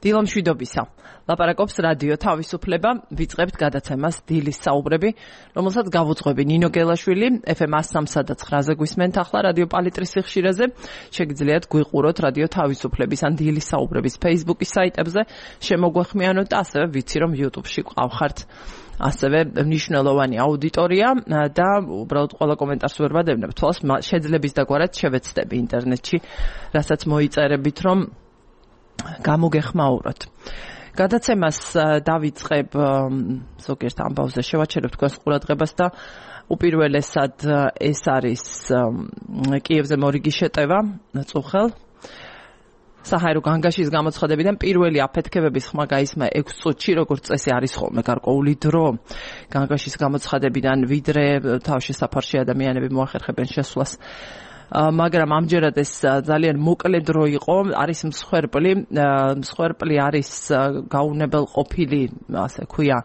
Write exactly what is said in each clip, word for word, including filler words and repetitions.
დილომშვიდობისა. ლაპარაკობს რადიო თავისუფლება, ვიწყებთ გადაცემას დილის საუბრები, რომელსაც გავუძღვები ნინო გელაშვილი, ეფ ემ one oh three point nine-ზე გვისმენთ ახლა რადიო პალიტრის სიხშირეზე. შეგიძლიათ გვიყუროთ რადიო თავისუფლების ან დილის საუბრების Facebook-ის საიტებზე, შემოგვეხმიანოთ და ასევე ვიცი რომ YouTube-ში ყავხართ. ასევე მნიშვნელოვანი აუდიტორია და უბრალოდ ყველა კომენტარს ვერ ვადევნებ თვალს, შეძლების დაგვარად შევეცდები ინტერნეტში, რასაც მოიწერებით რომ გამოგეხმაუროთ. გადაცემას დავიწყებ ზოგიერთ ამბავზე შევაჩერებ თქვენს ყურადღებას და უპირველესად ეს არის კიევზე მორიგი შეტევა წუხელ საჰაერო განგაშის გამოცხადებიდან პირველი აფეთქებების ხმა გაისმა ექვს წუთში, როგორც წესი არის ხოლმე გარკვეული დრო განგაშის გამოცხადებიდან, ვიდრე თავშესაფარში ადამიანები მოახერხებენ შესვლას. მაგრამ ამჯერად ეს ძალიან მოკლე დრო იყო, არის მსხვერპლი, მსხვერპლი არის გაუნებელყოფილი, ასე ქვია,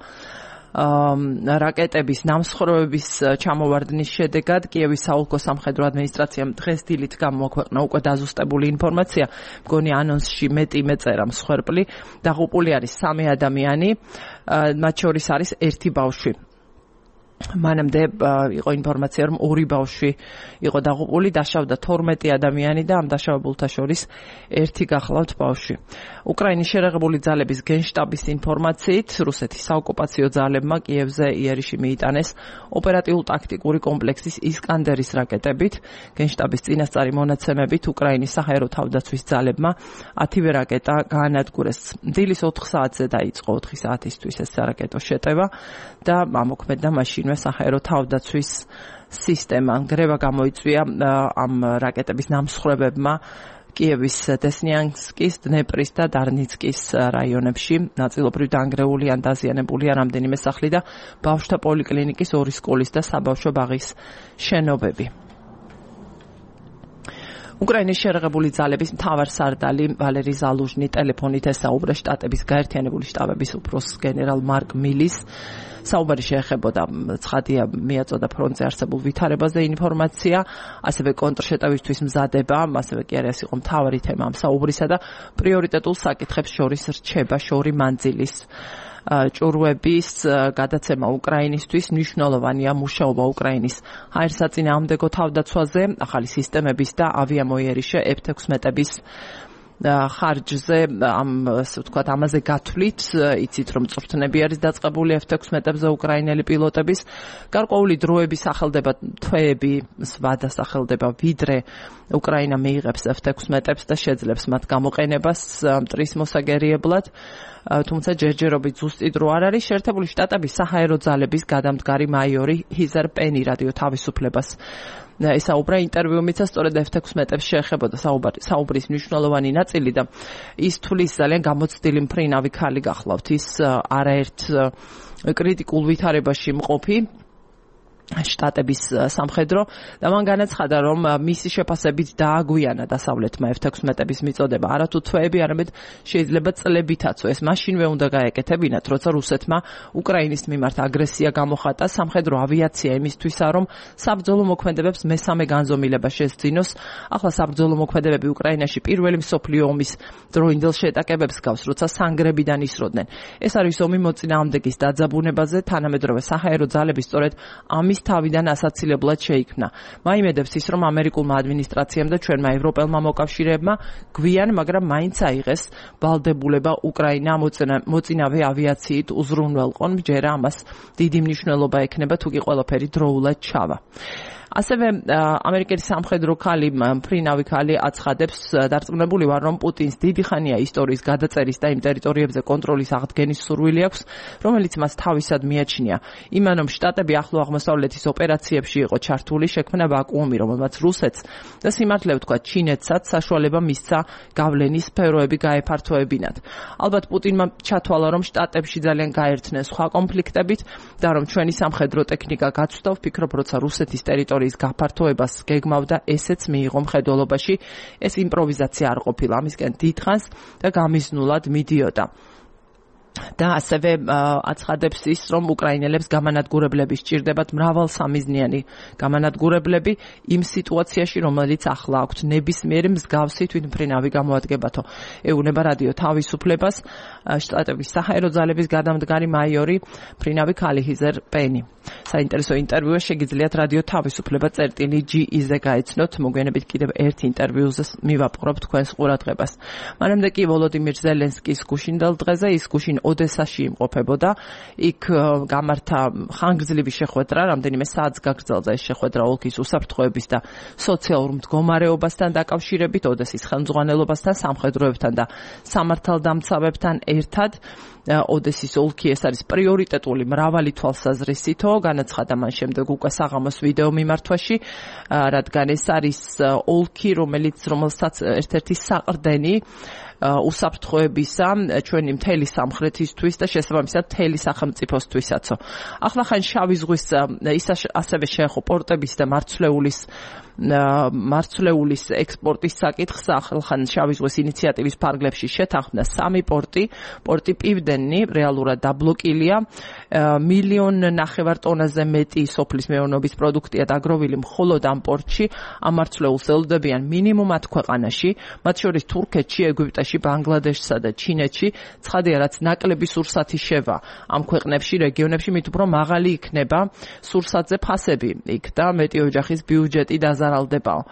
რაკეტების ნამსხვრევების ჩამოვარდნის შედეგად კიევის საოლქო სამხედრო ადმინისტრაციამ დღეს დილით გამოაქვეყნა უკვე დაზუსტებული ინფორმაცია, მგონი ანონსში მეტი მეწერა მსხვერპლი, დაღუპული არის სამი ადამიანი, მათ შორის არის ერთი ბავშვი. მანამდე იყო ინფორმაცია რომ ორი ბავშვი იყო დაღუპული, დაშავდა თორმეტი ადამიანი და ამ დაშავებულთა შორის ერთი გახლავთ ბავშვი. უკრაინის შერეღებული ძალების გენშტაბის ინფორმაციით, რუსეთის საოკუპაციო ძალებმა კიევზე იერიში მიიტანეს ოპერატიულ-ტაქტიკური კომპლექსის ისკანდერის რაკეტებით. გენშტაბის წინასწარი მონაცემებით უკრაინის საჰაერო თავდაცვის ძალებმა ათივე რაკეტა გაანადგურეს. დილის ოთხ საათზე დაიწყო ოთხი საათისთვის ეს რაკეტო შეტევა და ამოქმედდა მაშინვე საჰაერო თავდაცვის სისტემა. გრევა გამოიწვია ამ რაკეტების ნამსხვრევებმა კიევის დესნიანსკის, დნეპრის და დარნიცკის რაიონებში. ნაწილობრივ დანგრეული ან დაზიანებულია რამდენიმე სახლი და ბავშვთა პოლიკლინიკის, ორი სკოლის და საბავშვო ბაღის შენობები. უკრაინის შერეღებული ძალების მთავარსარდალი ვალერი ზალუჟნი ტელეფონით ესაუბრა შტატების გაერთიანებული შტაბების უფროსს გენერალ მარკ მილის. საუბარი შეეხებოდა ცხადია მიაწოდა ფრონტზე არსებულ ვითარებაზე ინფორმაცია, ასევე კონტრშეტევისთვის მზადება, ასევე კი არის იყო მთავარი თემა ამ საუბრისა და პრიორიტეტულ საკითხებს შორის რჩება შორი მანძილის ჭურვების გადაცემა უკრაინისთვის. მნიშვნელოვანია მუშაობა უკრაინის აირსაწინააღმდეგო თავდაცვაზე, ახალი სისტემების და ავიამოიერიშე ეფ თექვსმეტების ხარჯზე, ამ ასე ვთქვათ, ამაზე გათვლით, იცით რომ წვრთნები არის დაწყებული ეფ თექვსმეტებზე უკრაინელი პილოტების. გარკვეული დროების სახელდება თვეები, სვადა სახელდება, ვიდრე უკრაინა მიიღებს ეფ თექვსმეტებს და შეძლებს მათ გამოყენებას მტრის მოსაგერიებლად. თუმცა ჯერჯერობით ზუსტი დრო არ არის. შეერთებული შტატების საჰაერო ძალების გადამდგარი მაიორი ჰიზარ პენი რადიო თავისუფლებას ესაუბრა ინტერვიუ მიცა, სწორედ ეფ თექვსმეტებს შეეხებოდა საუბრის მნიშვნელოვანი ნაწილი და ის თulis ძალიან გამოცდილი მფრინავი ქალი გახლავთ, ის არაერთ კრიტიკულ ვითარებაში მყოფი შტატების სამხედრო და მან განაცხადა რომ მისი შეფასებით დააგვიანა დასავლეთმა ეფ თექვსმეტების მიწოდება, არათუ თვეები, არამედ შეიძლება წლებითაცო. ეს მაშინვე უნდა გაეკეთებინათ, როცა რუსეთმა უკრაინის მიმართ აგრესია გამოხატა. სამხედრო ავიაცია იმისთვისა რომ საბრძოლო მოქმედებებს მესამე განზომილება შესძინოს. ახლა საბრძოლო მოქმედებები უკრაინაში პირველი მსოფლიო ომის დროინდელ შეტაკებებს გავს, როცა სანგრებიდან ისროდნენ. ეს არის ომი მოწინააღმდეგის დაძაბუნებაზე, თანამედროვე საჰაერო ძალები სწორედ ამის თავიდან ასაცილებლად შეიქმნა. მაიმედებს ის, რომ ამერიკულმა ადმინისტრაციამ და ჩვენმა ევროპელმა მოკავშირეებმა გვიან, მაგრამ მაინც აიღეს ვალდებულება უკრაინა მოწინავე ავიაციით უზრუნველყონ. ჯერა ამას დიდი მნიშვნელობა ექნება, თუ კი ყველაფერი დროულად ჩავა. ასევე ამერიკელი სამხედრო ქალი, მფრინავი ქალი აცხადებს, დარწმუნებული ვარ, რომ პუტინს დიდი ხანია ისტორიის გადაწერის და იმ ტერიტორიებზე კონტროლის აღდგენის სურვილი აქვს, რომელიც მას თავისად მიაჩნია. იმანომ შტატები ახლო აღმოსავლეთის ოპერაციებში იყო ჩართული, შექმნა ვაკუუმი, რომელმაც რუსეთს და სიმართლე ვთქვათ, ჩინეთსაც საშუალება მისცა გავლენის სფეროები გაეფართოებინათ. ალბათ პუტინმა ჩათვალა, რომ შტატებში ძალიან გაერთნენ სხვა კონფლიქტებით და რომ ჩვენი სამხედრო ტექნიკა გაცვდა, ვფიქრობ, როცა რუსეთის ტერიტორია გაფართოებას გეგმავდა, ესეც მიიღო მხედველობაში. ეს იმპროვიზაცია არ ყოფილა, ამისკენ დიდხანს და გამიზნულად მიდიოდა. და ასევე აცხადებს ის, რომ უკრაინელებს გამანადგურებლები სჭირდებათ მრავალსამიზნიანი გამანადგურებლები იმ სიტუაციაში, რომელიც ახლა აქვთ ნებისმიერი მსგავსი თვითმფრინავი გამოადგებათო. ეუბნება რადიო თავისუფლებას შტატების საჰაერო ძალების გადამდგარი მაიორი მფრინავი ქალihizер პენი. საინტერესო ინტერვიუა შეგიძლიათ რადიო თავისუფლება წერტილი ჯი-ზე გაეცნოთ. მოგვიანებით კიდევ ერთ ინტერვიუზე მივაპყრობ თქვენს ყურადღებას. მანამდე კი ვოლოდიმირ ზელენსკის გუშინდელ დღეზე ის გუშინ ოდესაში იმყოფებოდა. იქ გამართა ხანგრძლივი შეხვედრა, რამდენიმე საათს გაგრძელდა ეს შეხვედრა ოლქის უსაფრთხოების და სოციალურ მდგომარეობასთან დაკავშირებით, ოდესის ხელმძღვანელობასთან, სამხედროებთან და სამართალდამცავებთან ერთად. ოდესის ოლქი ეს არის პრიორიტეტული მრავალი თვალსაზრისითო, განაცხადა მან შემდეგ უკვე საღამოს ვიდეო მიმართვაში, რადგან ეს არის ოლქი, რომელიც რომელსაც ერთ-ერთი საყრდენი უსაფრთხოებისა ჩვენი მთელი სამხრეთისთვის და შესაბამისად მთელი სახელმწიფოსთვისაცო. ახლა ხან შავი ზღვის ის ასევე შეეხო პორტების და მარცვლეულის მარცვლეულის ექსპორტის საკითხს. ახლა შავი ზღვის ინიციატივის ფარგლებში შეთანხმდა სამი პორტი. პორტი პივდენი რეალურად დაბლოკილია. მილიონ ნახევარ ტონაზე მეტი სოფლის მეურნეობის პროდუქტია დაგროვილი მხოლოდ ამ პორტში. ამ მარცვლეულს ელოდებიან მინიმუმ ათ ქვეყანაში, მათ შორის თურქეთში, ეგვიპტეში, ბანგლადეშსა და ჩინეთში. ცხადია, რაც ნაკლები სურსათი შევა ამ ქვეყნებში, რეგიონებში, მით უფრო მაღალი იქნება სურსათზე ფასები იქ და მეტი ოჯახის ბიუჯეტი დაზარალდებაო.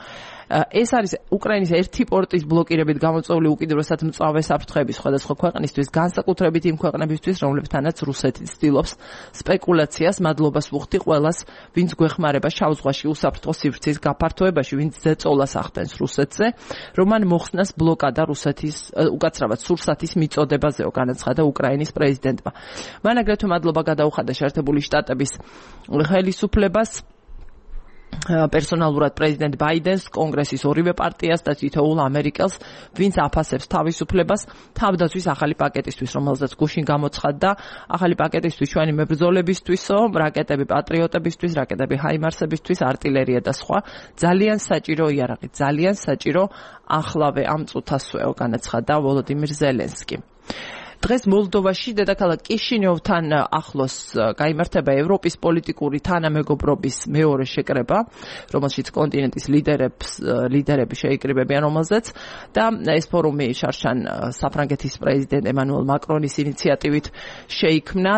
ეს არის უკრაინის ერთი პორტის ბლოკირებით გამოწვეული უკიდურესად მწვავე საფრთხეების სხვადასხვა ქვეყნისთვის, განსაკუთრებით იმ ქვეყნებისთვის, რომლებთანაც რუსეთი ცდილობს სპეკულაციას. მადლობას ვუხდი ყველას, ვინც გვეხმარება შავ ზღვაში უსაფრთხო სივრცის გაფართოებაში, ვინც ზეწოლას ახდენს რუსეთზე, რომ მან მოხსნას ბლოკადა რუსეთის უკაცრავად სურსათის მიწოდებაზეო, განაცხადა უკრაინის პრეზიდენტმა. მან აგრეთვე მადლობა გადაუხადა შეერთებული შტატების ხელისუფლებას, პერსონალურად პრეზიდენტ ბაიდენს, კონგრესის ორივე პარტიას და თითოეულ ამერიკელს, ვინც აფასებს თავისუფლებას თავდაცვის ახალი პაკეტისთვის, რომელზეც გუშინ გამოცხადდა. ახალი პაკეტისთვის ჩვენი მებრძოლებისთვისო, რაკეტები პატრიოტებისთვის, რაკეტები ჰაიმარსებისთვის, არტილერია და სხვა. ძალიან საჭირო იარაღი, ძალიან საჭირო ახლავე ამ წუთასვეო, განაცხადა ვოლოდიმირ ზელენსკი. დღეს მოლდოვაში დედაქალაქ კიშინიოვთან ახლოს გაიმართება ევროპის პოლიტიკური თანამეგობრობის მეორე შეკრება, რომელშიც კონტინენტის ლიდერებს ლიდერები შეიკრიბებიან, რომელზეც და ეს ფორუმი შარშან საფრანგეთის პრეზიდენტ ემანუელ მაკრონის ინიციატივით შეიქმნა.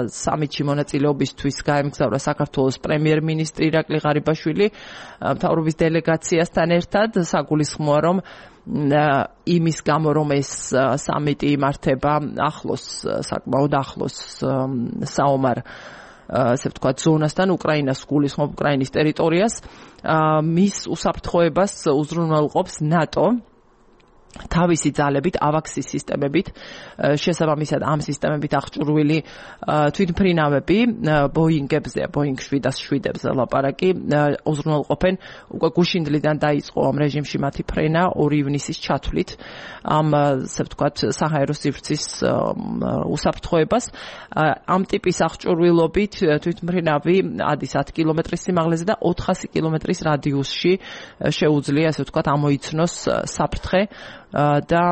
სამიტში მონაწილეობისთვის გაემგზავრა საქართველოს პრემიერ-მინისტრი ირაკლი ღარიბაშვილი მთავრობის დელეგაციასთან ერთად. საგულისხმოა, რომ იმის გამო, რომ ეს სამიტი იმართება ახლოს, საკმაოდ ახლოს საომარ ასე ვთქვათ ზონასთან, უკრაინას გულისხმობ უკრაინის ტერიტორიას, მის უსაფრთხოებას უზრუნველყოფს ნატო თავისი ძალებით, ავაქსის სისტემებით, შესაბამისად ამ სისტემებით აღჭურვილი თვითმფრინავები, ბოინგებზე, ბოინგ შვიდას შვიდებზე ლაპარაკი, უზრუნველყოფენ. უკვე გუშინდლიდან დაიწყო ამ რეჟიმში მათი ფრენა ორი ივნისის ჩათვლით ამ ასე ვთქვათ საჰაერო სივრცის უსაფრთხოებას. ამ ტიპის აღჭურვილობით თვითმფრინავი ადის ათ კილომეტრის სიმაღლეზე და ოთხასი კილომეტრის რადიუსში შეუძლია ასე ვთქვათ ამოიცნოს საფრთხე და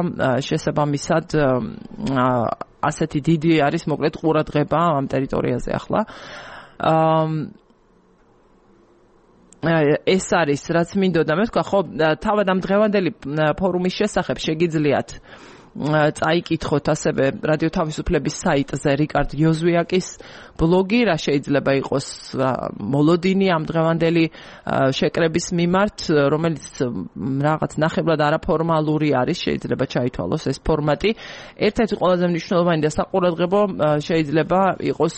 შესაბამისად ასეთი დიდი არის მოკლედ ყურადღება ამ ტერიტორიაზე ახლა. ეს არის რაც მინდოდა მე ვთქვა, ხო, თავად ამ დღევანდელი ფორუმის შესახებ შეგიძლიათ წაიკითხოთ ასევე რადიო თავისუფლების საიტზე რიკარდ იოზვიაკის ბლოგი, რა შეიძლება იყოს მოლოდინი ამ დღევანდელი შეკრების მიმართ, რომელიც რაღაც ნახევრად არაფორმალური არის, შეიძლება ჩაითვალოს ეს ფორმატი. ერთ-ერთი ყველაზე მნიშვნელოვანი და საყურადღებო შეიძლება იყოს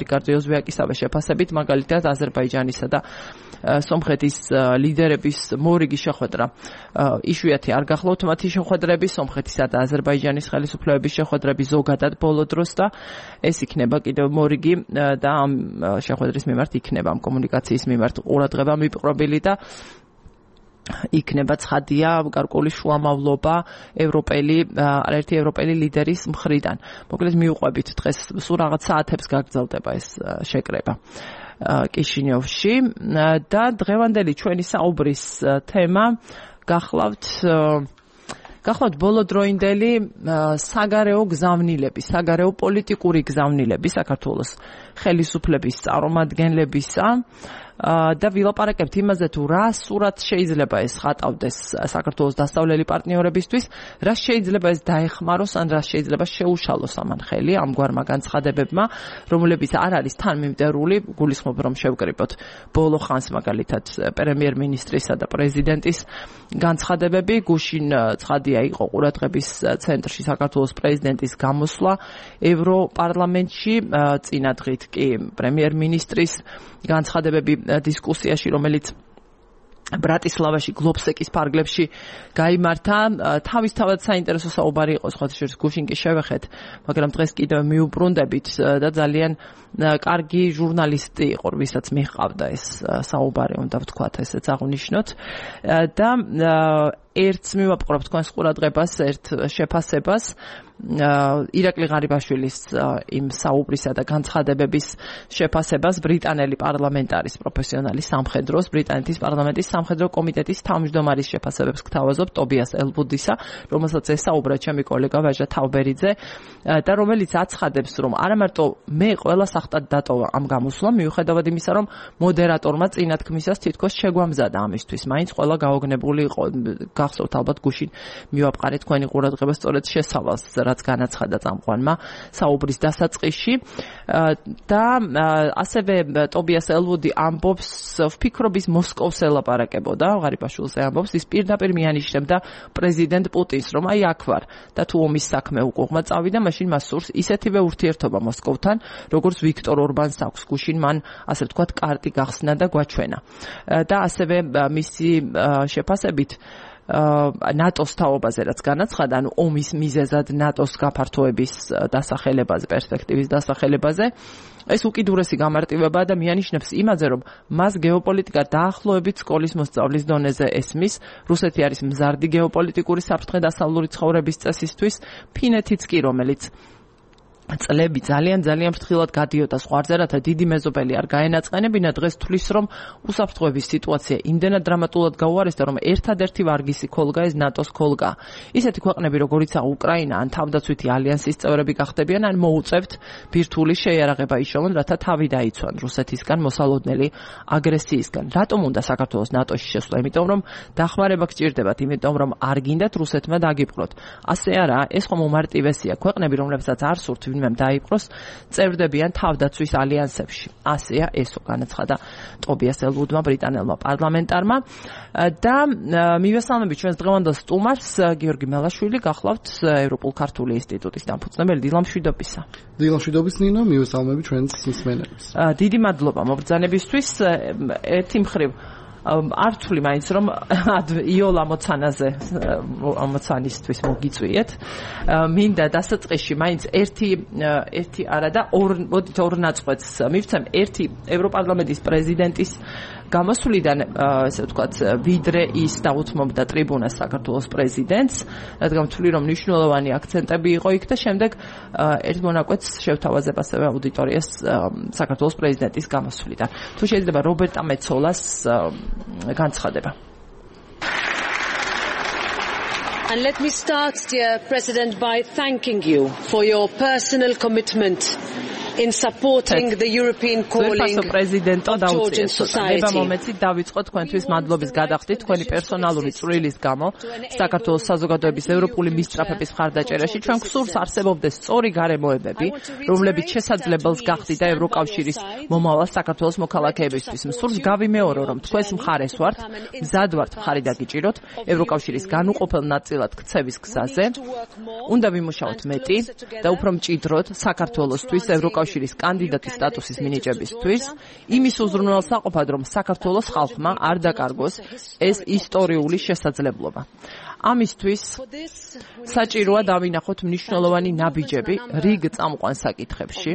რიკარდ იოზვიაკისავე შეფასებით, მაგალითად აზერბაიჯანისა და სომხეთის ლიდერების მორიგი შეხვედრა. იშვიათი არ გახლავთ მათი შეხვედრები, სომხეთისა და აზერბაიჯანის ხელისუფლებების შეხვედრები ზოგადად ბოლო დროს და ეს იქნება კიდევ მორიგი და ამ შეხვედრის მიმართ იქნება ამ კომუნიკაციის მიმართ ყურადღება მიპყრობილი და იქნება ცხადია გარკვეული შუამავლობა ევროპელი არაერთი ევროპელი ლიდერის მხრიდან. მოკლედ მივუყვებით დღეს სულ რაღაც საათებს გაგრძელდება ეს შეკრება კიშინიოვში და დღევანდელი ჩვენი საუბრის თემა გახლავთ გახლავთ ბოლოდროინდელი საგარეო გზავნილები, საგარეო პოლიტიკური გზავნილები საქართველოს ხელისუფლების წარმომადგენლებისა და ვილაპარაკებთ იმაზე თუ რა სურათ შეიძლება ეს ხატავდეს საქართველოს დასავლელი პარტნიორებისთვის, რა შეიძლება ეს დაეხმაროს ან რა შეიძლება შეუშალოს ამან ხელი ამგვარმა განცხადებებმა, რომლებიც არ არის თანმიმდევრული, გულისხმობ რომ შევკრიბოთ ბოლო ხანს მაგალითად პრემიერ-მინისტრისა და პრეზიდენტის განცხადებები, გუშინ ცხადია იყო ყურადღების ცენტრში საქართველოს პრეზიდენტის გამოსვლა ევროპარლამენტში, წინა დღით კი პრემიერ-მინისტრის განცხადებები დისკუსიაში, რომელიც ბრატისლავაში გლობსეკის ფარგლებში გაიმართა, თავისთავად საინტერესო საუბარი იყო, სხვა შორის გუშინ კი შევეხეთ, მაგრამ დღეს კიდევ მიუბრუნდებით და ძალიან კარგი ჟურნალისტი იყო, ვისაც მიჰყავდა ეს საუბარი, უნდა ვთქვათ, ესეც აღნიშნოთ და ერთს მივაპყრობ თქვენს ყურადღებას, ერთ შეფასებას ირაკლი ღარიბაშვილის იმ საუბრისა და განცხადებების შეფასებას ბრიტანელი პარლამენტარის პროფესიონალი სამხედროს, ბრიტანეთის პარლამენტის სამხედრო კომიტეტის თავმჯდომარის შეფასებებს გთავაზობ ტობიას ელვუდისა, რომელსაც ესაუბრა ჩემი კოლეგა ვაჟა თავბერიძე და რომელიც აცხადებს, რომ არა მარტო მე ყველა სახტად დატოვა ამ გამოსვლამ, მიუხედავად იმისა, რომ მოდერატორმა წინა თქმისას თითქოს შეგვამზადა ამისთვის, მაინც ყველა გაოგნებული იყო. გახსოვთ ალბათ გუშინ მივაპყარეთ თქვენი ყურადღება სწორედ შესავალს, რაც განაცხადა წამყვანმა საუბრის დასაწყისში და ასევე ტობიას ელვუდი ამბობს, ვფიქრობის მოსკოვს ელაპარაკებოდა, ღარიბაშვილზე ამბობს, ის პირდაპირ მიანიშნებდა პრეზიდენტ პუტინს, რომ აი აქ ვარ და თუ ომის საქმე უკუღმა წავიდა, მაშინ მას სურს ისეთივე ურთიერთობა მოსკოვთან, როგორც ვიქტორ ორბანს აქვს. გუშინ მან ასე ვთქვათ კარტი გახსნა და გვაჩვენა და ასევე მისი შეფასებით ნატოს თაობაზე რაც განაცხადა, ანუ ომის მიზეზად ნატოს გაფართოების დასახელებაზე, პერსპექტივის დასახელებაზე, ეს უკიდურესი გამარტივებაა და მიანიშნებს იმაზე, რომ მას გეოპოლიტიკა დაახლოებით სკოლის მოსწავლის დონეზე ესმის, რუსეთი არის მზარდი გეოპოლიტიკური საფრთხე დასავლური ცხოვრების წესისთვის, ფინეთიც კი, რომელიც წლები ძალიან ძალიან ფრთხილად გადიოდა ზღვარზე, რათა დიდი მეზობელი არ გაენაწყენებინა, დღეს თვლის, რომ უსაფრთხოების სიტუაცია იმდენად დრამატულად გაუარესდა, რომ ერთადერთი ვარგისი ქოლგა ეს ნატოს ქოლგა. ისეთი ქვეყნები, როგორიცაა უკრაინა, ან თავდაცვითი ალიანსის წევრები გახდებიან, ან მოუწევთ ბირთვული შეიარაღება იშოვონ, რათა თავი დაიცვან რუსეთისგან მოსალოდნელი აგრესიისგან. რატომ უნდა საქართველოს ნატოში შესვლა? იმიტომ რომ დახმარება გჭირდებათ, იმიტომ რომ არ გინდათ რუსეთმა დაგიპყროთ. ასე არა, ეს ხომ უმარტივესია. ქვეყნები, რომლებსაც არ სურთ ვინმე დაიპყროს, წერდებიან თავდაცვის ალიანსებში. ასეა ესო განაცხადა ტობიას ელვუდმა ბრიტანელმა პარლამენტარმა და მივესალმებით ჩვენს დღევანდელ სტუმარს, გიორგი მელაშვილი, გახლავთ ევროპულ ქართული ინსტიტუტის დამფუძნებელი. დილამშვიდობისა. დილამშვიდობის ნინო, მივესალმებით ჩვენს მსმენელებს. დიდი მადლობა მობრძანებისთვის. ერთი მხრივ ართული მაინც რომ იოლა მოცანაზე მოცანისთვის მოგიწვიეთ. მინდა დასაწყისში მაინც ერთი ერთი არა და ორ მოდით ორ ნაწყვეტს მივცემ. ერთი ევროპარლამენტის პრეზიდენტის გამოსვლიდან, ესე ვთქვათ, ვიდრე ის დაუთმობდა ტრიბუნას საქართველოს პრეზიდენტს, რადგან ვთვლი რომ მნიშვნელოვანი აქცენტები იყო იქ და შემდეგ ერთ მონაკვეთს შევთავაზებ ასევე აუდიტორიას საქართველოს პრეზიდენტის გამოსვლიდან. თუ შეიძლება რობერტა მეცოლას განცხადება. And let me start, dear President, by thanking you for your personal commitment in supporting the European calling of Georgian society. ნება მომეცით დავიწყო თქვენთვის მადლობის გადახდით თქვენი პერსონალური წვრილის გამო საქართველოს საზოგადოების ევროპული მისწრაფების მხარდაჭერაში. ჩვენ გსურს არსებობდეს სწორი გარემოებები, რომლებიც შესაძლებელს გახდიდა ევროკავშირის მომავალ საქართველოს მოქალაქეებისთვის. მსურს გავიმეორო, რომ თქვენს მხარეს ვართ, მზად ვართ მხარი დაგიჭიროთ ევროკავშირის განუყოფელ ნაწილად ქცევის გზაზე. უნდა ვიმუშაოთ მეტი და უფრო მჭიდროდ საქართველოსთვის ევროკავშირის კავშირის კანდიდატის სტატუსის მინიჭებისთვის, იმის უზრუნველსაყოფად, რომ საქართველოს ხალხმა არ დაკარგოს ეს ისტორიული შესაძლებლობა. ამისთვის საჭიროა დავინახოთ მნიშვნელოვანი ნაბიჯები რიგ წამყვან საკითხებში,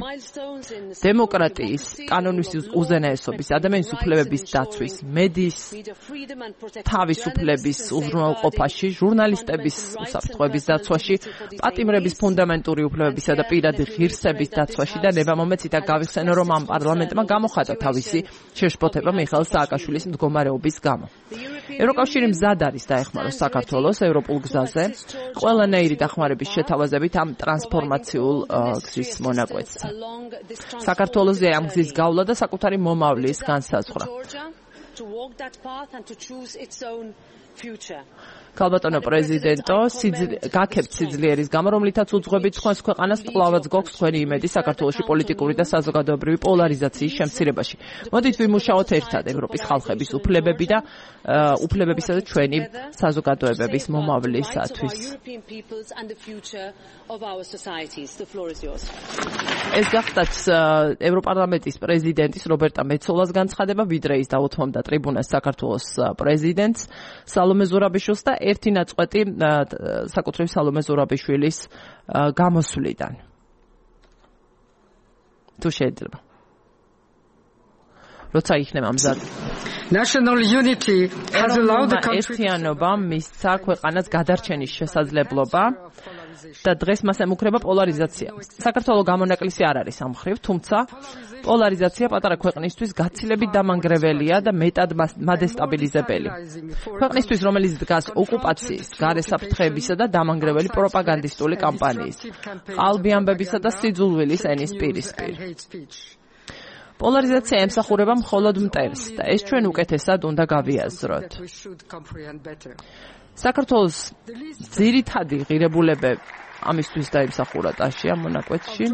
დემოკრატიის, კანონის უზენაესობის, ადამიანის უფლებების დაცვის, მედიის თავისუფლების უზრუნველყოფაში, ჟურნალისტების უსაფრთხოების დაცვაში, პატიმრების ფუნდამენტური უფლებებისა და პირადი ღირსების დაცვაში და ნება მომეცით გავიხსენო, რომ ამ პარლამენტმა გამოხატა თავისი შეშფოთება მიხეილ სააკაშვილის მდგომარეობის გამო. ევროკავშირი მზად არის დაეხმაროს საქართველოს ევროპულ გზაზე ყველანაირი დახმარების შეთავაზებით ამ ტრანსფორმაციულ გზის მონაკვეთს. საქართველოსზე ამ გზის გავლა და საკუთარი მომავლის განსაზღვრა. ქალბატონო პრეზიდენტო, გაქებთ სიძლიერის გამო, რომლითაც უძღვებით თქვენს ქვეყანას კვლავაც გვაქვს თქვენი იმედი საქართველოში პოლიტიკური და საზოგადოებრივი პოლარიზაციის შემცირებაში. მოდით ვიმუშაოთ ერთად ევროპის ხალხების უფლებები და უფლებებისა და ჩვენი საზოგადოებების მომავლისათვის. ეს გახდათ ევროპარლამენტის პრეზიდენტის რობერტა მეცოლას განცხადება, ვიდრე ის დაუთმობდა ტრიბუნას საქართველოს პრეზიდენტს სალომე ზურაბიშვილს და ერთი ნაწყვეტი საკუთრივ სალომე ზურაბიშვილის გამოსვლიდან. თუ შეიძლება. როცა იქნება მზად. National unity has allowed the country ერთიანობა მისცა ქვეყანას გადარჩენის შესაძლებლობა და დღეს მას ემუქრება პოლარიზაცია. საქართველოს გამონაკლისი არ არის ამ მხრივ, თუმცა პოლარიზაცია პატარა ქვეყნისთვის გაცილებით დამანგრეველია და მეტად მადესტაბილიზებელი. ქვეყნისთვის, რომელიც დგას ოკუპაციის, გარესაფრთხეებისა და დამანგრეველი პროპაგანდისტული კამპანიის, ყალბი ამბებისა და სიძულვილის ენის პირისპირ. პოლარიზაცია ემსახურება მხოლოდ მტერს და ეს ჩვენ უკეთესად უნდა გავიაზროთ. საქართველოს ძირითადი ღირებულებები ამისთვის დაიმსახურა ტაში ამ მონაკვეთში.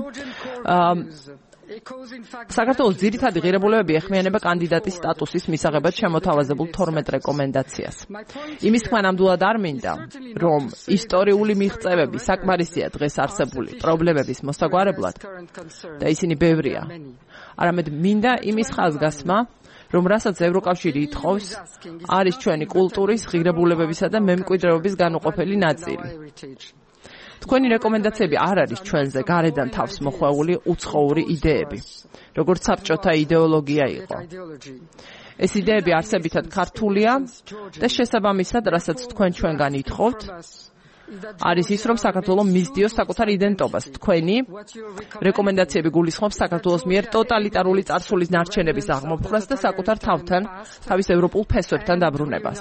საქართველოს ძირითადი ღირებულებები ეხმიანება კანდიდატის სტატუსის მისაღებად შემოთავაზებულ თორმეტ რეკომენდაციას. იმის თქმა ნამდვილად არ მინდა, რომ ისტორიული მიღწევები საკმარისია დღეს არსებული პრობლემების მოსაგვარებლად და ისინი ბევრია. არამედ მინდა იმის ხაზგასმა, რომ რასაც ევროკავშირი ითხოვს, არის ჩვენი კულტურის, ღირებულებებისა და მემკვიდრეობის განუყოფელი ნაწილი. თქვენი რეკომენდაციები არ არის ჩვენზე გარედან თავს მოხვეული უცხოური იდეები, როგორც საბჭოთა იდეოლოგია იყო. ეს იდეები არსებითად ქართულია და შესაბამისად, რასაც თქვენ ჩვენგან ითხოვთ, არის ის, რომ საქართველოს მისდიოს საკუთარ იდენტობას. თქვენი რეკომენდაციები გულისხმობს საქართველოს მიერ ტოტალიტარული წარსულის ნარჩენების აღმოფხვრას და საკუთარ თავთან, თავის ევროპულ ფესვებთან დაბრუნებას.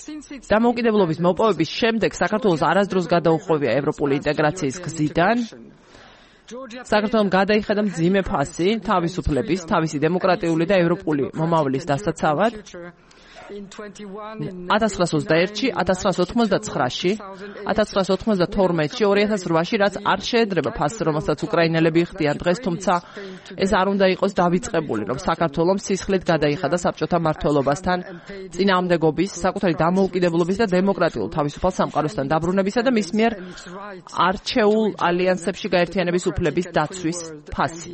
დამოუკიდებლობის მოპოვების შემდეგ საქართველოს არასდროს გადაუხვევია ევროპული ინტეგრაციის გზიდან. საქართველომ გადაიხედა მძიმე ფასი თავისუფლების, თავისი დემოკრატიული და ევროპული მომავლის დასაცავად. ათას ცხრაას ოცდაერთში, ათას ცხრაას ოთხმოცდაცხრაში, ათას ცხრაას ოთხმოცდათორმეტში, ორი ათას რვაში, რაც არ შეედრება ფასს, რომელსაც უკრაინელები იხდიან დღეს, თუმცა ეს არ უნდა იყოს დავიწყებული, რომ საქართველოს სისხლით გადაიხადა საბჭოთა მმართველობასთან წინააღმდეგობის, საკუთარი დამოუკიდებლობის და დემოკრატიულ თავისუფალ სამყაროსთან დაბრუნებისა და მის მიერ არჩეულ ალიანსებში გაერთიანების უფლების დაცვის ფასი.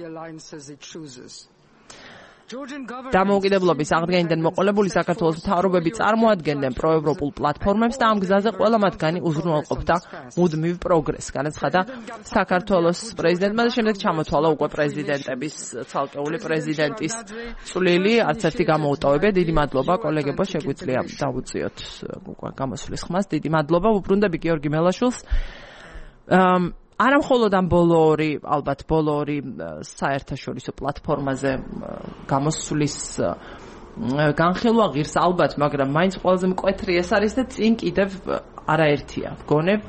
დამოუკიდებლობის აღდგენიდან მოყოლებული საქართველოს მთავრობები წარმოადგენდნენ პროევროპულ პლატფორმებს და ამ გზაზე ყველა მათგანი უზრუნველყოფდა მუდმივ პროგრესს. განაცხადა საქართველოს პრეზიდენტმა და შემდეგ ჩამოთვალა უკვე პრეზიდენტების, ცალკეული პრეზიდენტის წვლილი, არც ერთი გამოუტოვებია. დიდი მადლობა კოლეგებო, შეგვიძლია დავუწიოთ გამოსვლის ხმას. დიდი მადლობა, უბრუნდები გიორგი მელაშვილს. არა მხოლოდ ამ ბოლო ორი, ალბათ ბოლო ორი საერთაშორისო პლატფორმაზე გამოსვლის განხილვა ღირს ალბათ, მაგრამ მაინც ყველაზე მკვეთრი ეს არის და წინ კიდევ არაერთია. ვგონებ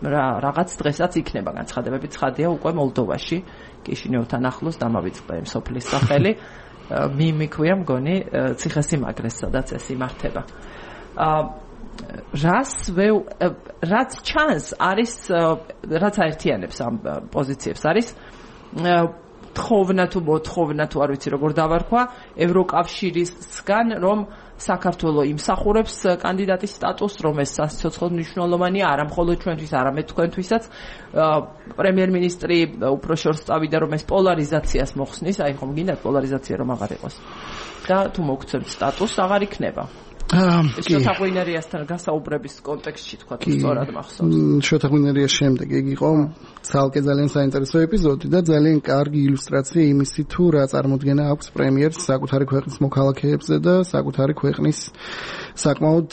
რა რაღაც დღესაც იქნება განცხადებები, ცხადია უკვე მოლდოვაში, კიშინევთან ახლოს დამავიწყდა იმ სოფლის სახელი. მიმიქვია მგონი ციხესიმაგრეს, სადაც ეს იმართება. რას რაც ჩანს არის რაც აერთიანებს ამ პოზიციებს არის თხოვნა თუ მოთხოვნა თუ არ ვიცი როგორ დავარქვა ევროკავშირისგან რომ საქართველოს იმსახურებს კანდიდატის სტატუსს რომ ეს სასიცოცხლო მნიშვნელოვანია არა მხოლოდ ჩვენთვის არამედ თქვენთვისაც პრემიერ-მინისტრი უფრო შორს წავიდა რომ ეს პოლარიზაციას მოხსნის აი ხომ გინდათ პოლარიზაცია რომ აღარ იყოს და თუ მოგცემთ სტატუსს აღარ იქნება შოთაღვინერიასთან გასაუბრების კონტექსტში თქვა თუ სწორად მახსოვს. შოთაღვინერიას შემდეგ ეგ იყო ძალკე ძალიან საინტერესო ეპიზოდი და ძალიან კარგი ილუსტრაცია იმისი თუ რა წარმოდგენა აქვს პრემიერს საკუთარი ქვეყნის მოქალაქეებზე და საკუთარი ქვეყნის საკმაოდ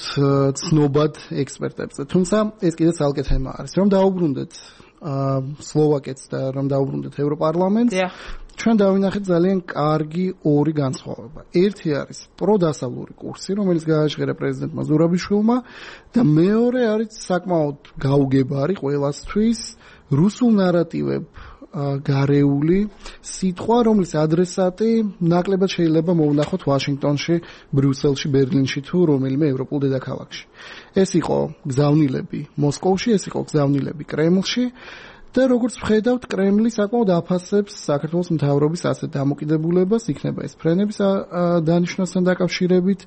ცნობად ექსპერტებზე. თუმცა ეს კიდე ძალკე თემა არის. რომ დაუბრუნდეთ სლოვაკეთს და რომ დაუბრუნდეთ ევროპარლამენტს. ჩვენ დავინახეთ ძალიან კარგი ორი განსხვავება. ერთი არის პროდასავლური კურსი, რომელიც გააჟღერა პრეზიდენტმა ზურაბიშვილმა და მეორე არის საკმაოდ გაუგებარი ყველასთვის რუსულ ნარატივებ გარეული სიტყვა, რომლის ადრესატი ნაკლებად შეიძლება მოვნახოთ ვაშინგტონში, ბრიუსელში, ბერლინში თუ რომელიმე ევროპულ დედაქალაქში. ეს იყო გზავნილები მოსკოვში, ეს იყო გზავნილები კრემლში და როგორც ვხედავთ, კრემლი საკმაოდ აფასებს საქართველოს მთავრობის ასეთ დამოკიდებულებას, იქნება ეს ფრენების დანიშვნასთან დაკავშირებით,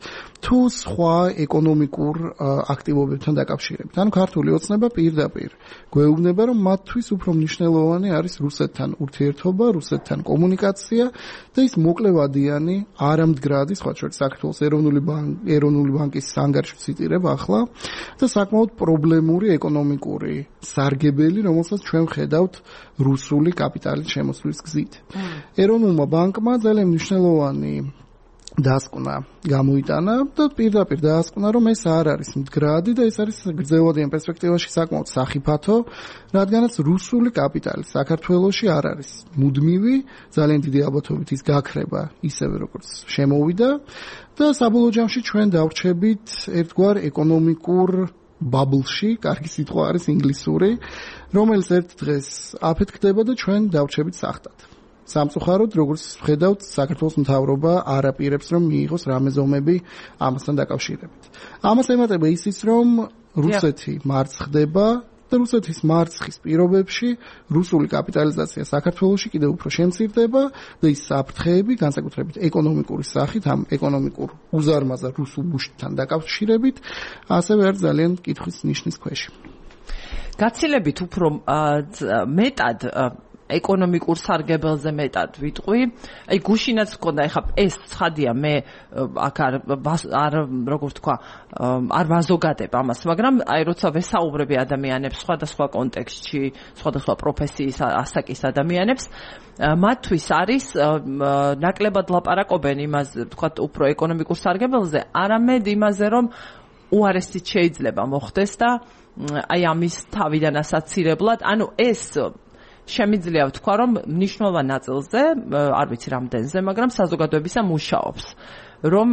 თუ სხვა ეკონომიკურ აქტივობებთან დაკავშირებით. ანუ ქართული ოცნება პირდაპირ გვეუბნება, რომ მათთვის უფრო მნიშვნელოვანი არის რუსეთთან ურთიერთობა, რუსეთთან კომუნიკაცია და ის მოკლევადიანი, არამდგრადი, სხვა შორის საქართველოს ეროვნული ბანკი, ეროვნული ბანკის ანგარიში ციტირებ ახლა და საკმაოდ პრობლემური ეკონომიკური სარგებელი, რომელსაც ჩვენ ხედავთ რუსული კაპიტალის შემოსვლის გზით. ეროვნულმა ბანკმა ძალიან მნიშვნელოვანი დასკვნა გამოიტანა და პირდაპირ დაასკვნა, რომ ეს არ არის მდგრადი და ეს არის გრძელვადიან პერსპექტივაში საკმაოდ სახიფათო, რადგანაც რუსული კაპიტალი საქართველოში არ არის მუდმივი, ძალიან დიდი ალბათობით ის გაქრება ისევე როგორც შემოვიდა და საბოლოო ჯამში ჩვენ დავრჩებით ერთგვარ ეკონომიკურ ბაბლში, კარგი სიტყვა არის ინგლისური, რომელიც ერთ დღეს აფეთქდება და ჩვენ დავრჩებით სახტად. სამწუხაროდ, როგორც ვხედავთ, საქართველოს მთავრობა არ აპირებს, რომ მიიღოს რამე ზომები ამასთან დაკავშირებით. ამას ემატება ისიც, რომ რუსეთი მარცხდება და რუსეთის მარცხის პირობებში რუსული კაპიტალიზაცია საქართველოში კიდევ უფრო შემცირდება და ის საფრთხეები, განსაკუთრებით ეკონომიკური სახით, ამ ეკონომიკურ უზარმაზარ რუსულ ბუშტთან დაკავშირებით, ასევე არის ძალიან კითხვის ნიშნის ქვეშ. გაცილებით უფრო მეტად ეკონომიკურ სარგებელზე მეტად ვიტყვი. აი გუშინაც მქონდა, ეხლა ეს ცხადია, მე აქ არ არ როგორ თქვა, არ ვაზოგადებ ამას, მაგრამ აი როცა ვესაუბრები ადამიანებს სხვადასხვა კონტექსტში, სხვადასხვა პროფესიის ასაკის ადამიანებს, მათთვის არის ნაკლებად ლაპარაკობენ იმაზე, თქვა უფრო ეკონომიკურ სარგებელზე, არამედ იმაზე, რომ უარესით შეიძლება მოხდეს და აი ამის თავიდან ასაცირებლად, ანუ ეს შემიძლია ვთქვა, რომ მნიშვნელოვან ნაწილზე, არ ვიცი რამდენზე, მაგრამ საზოგადოებისა მუშაობს, რომ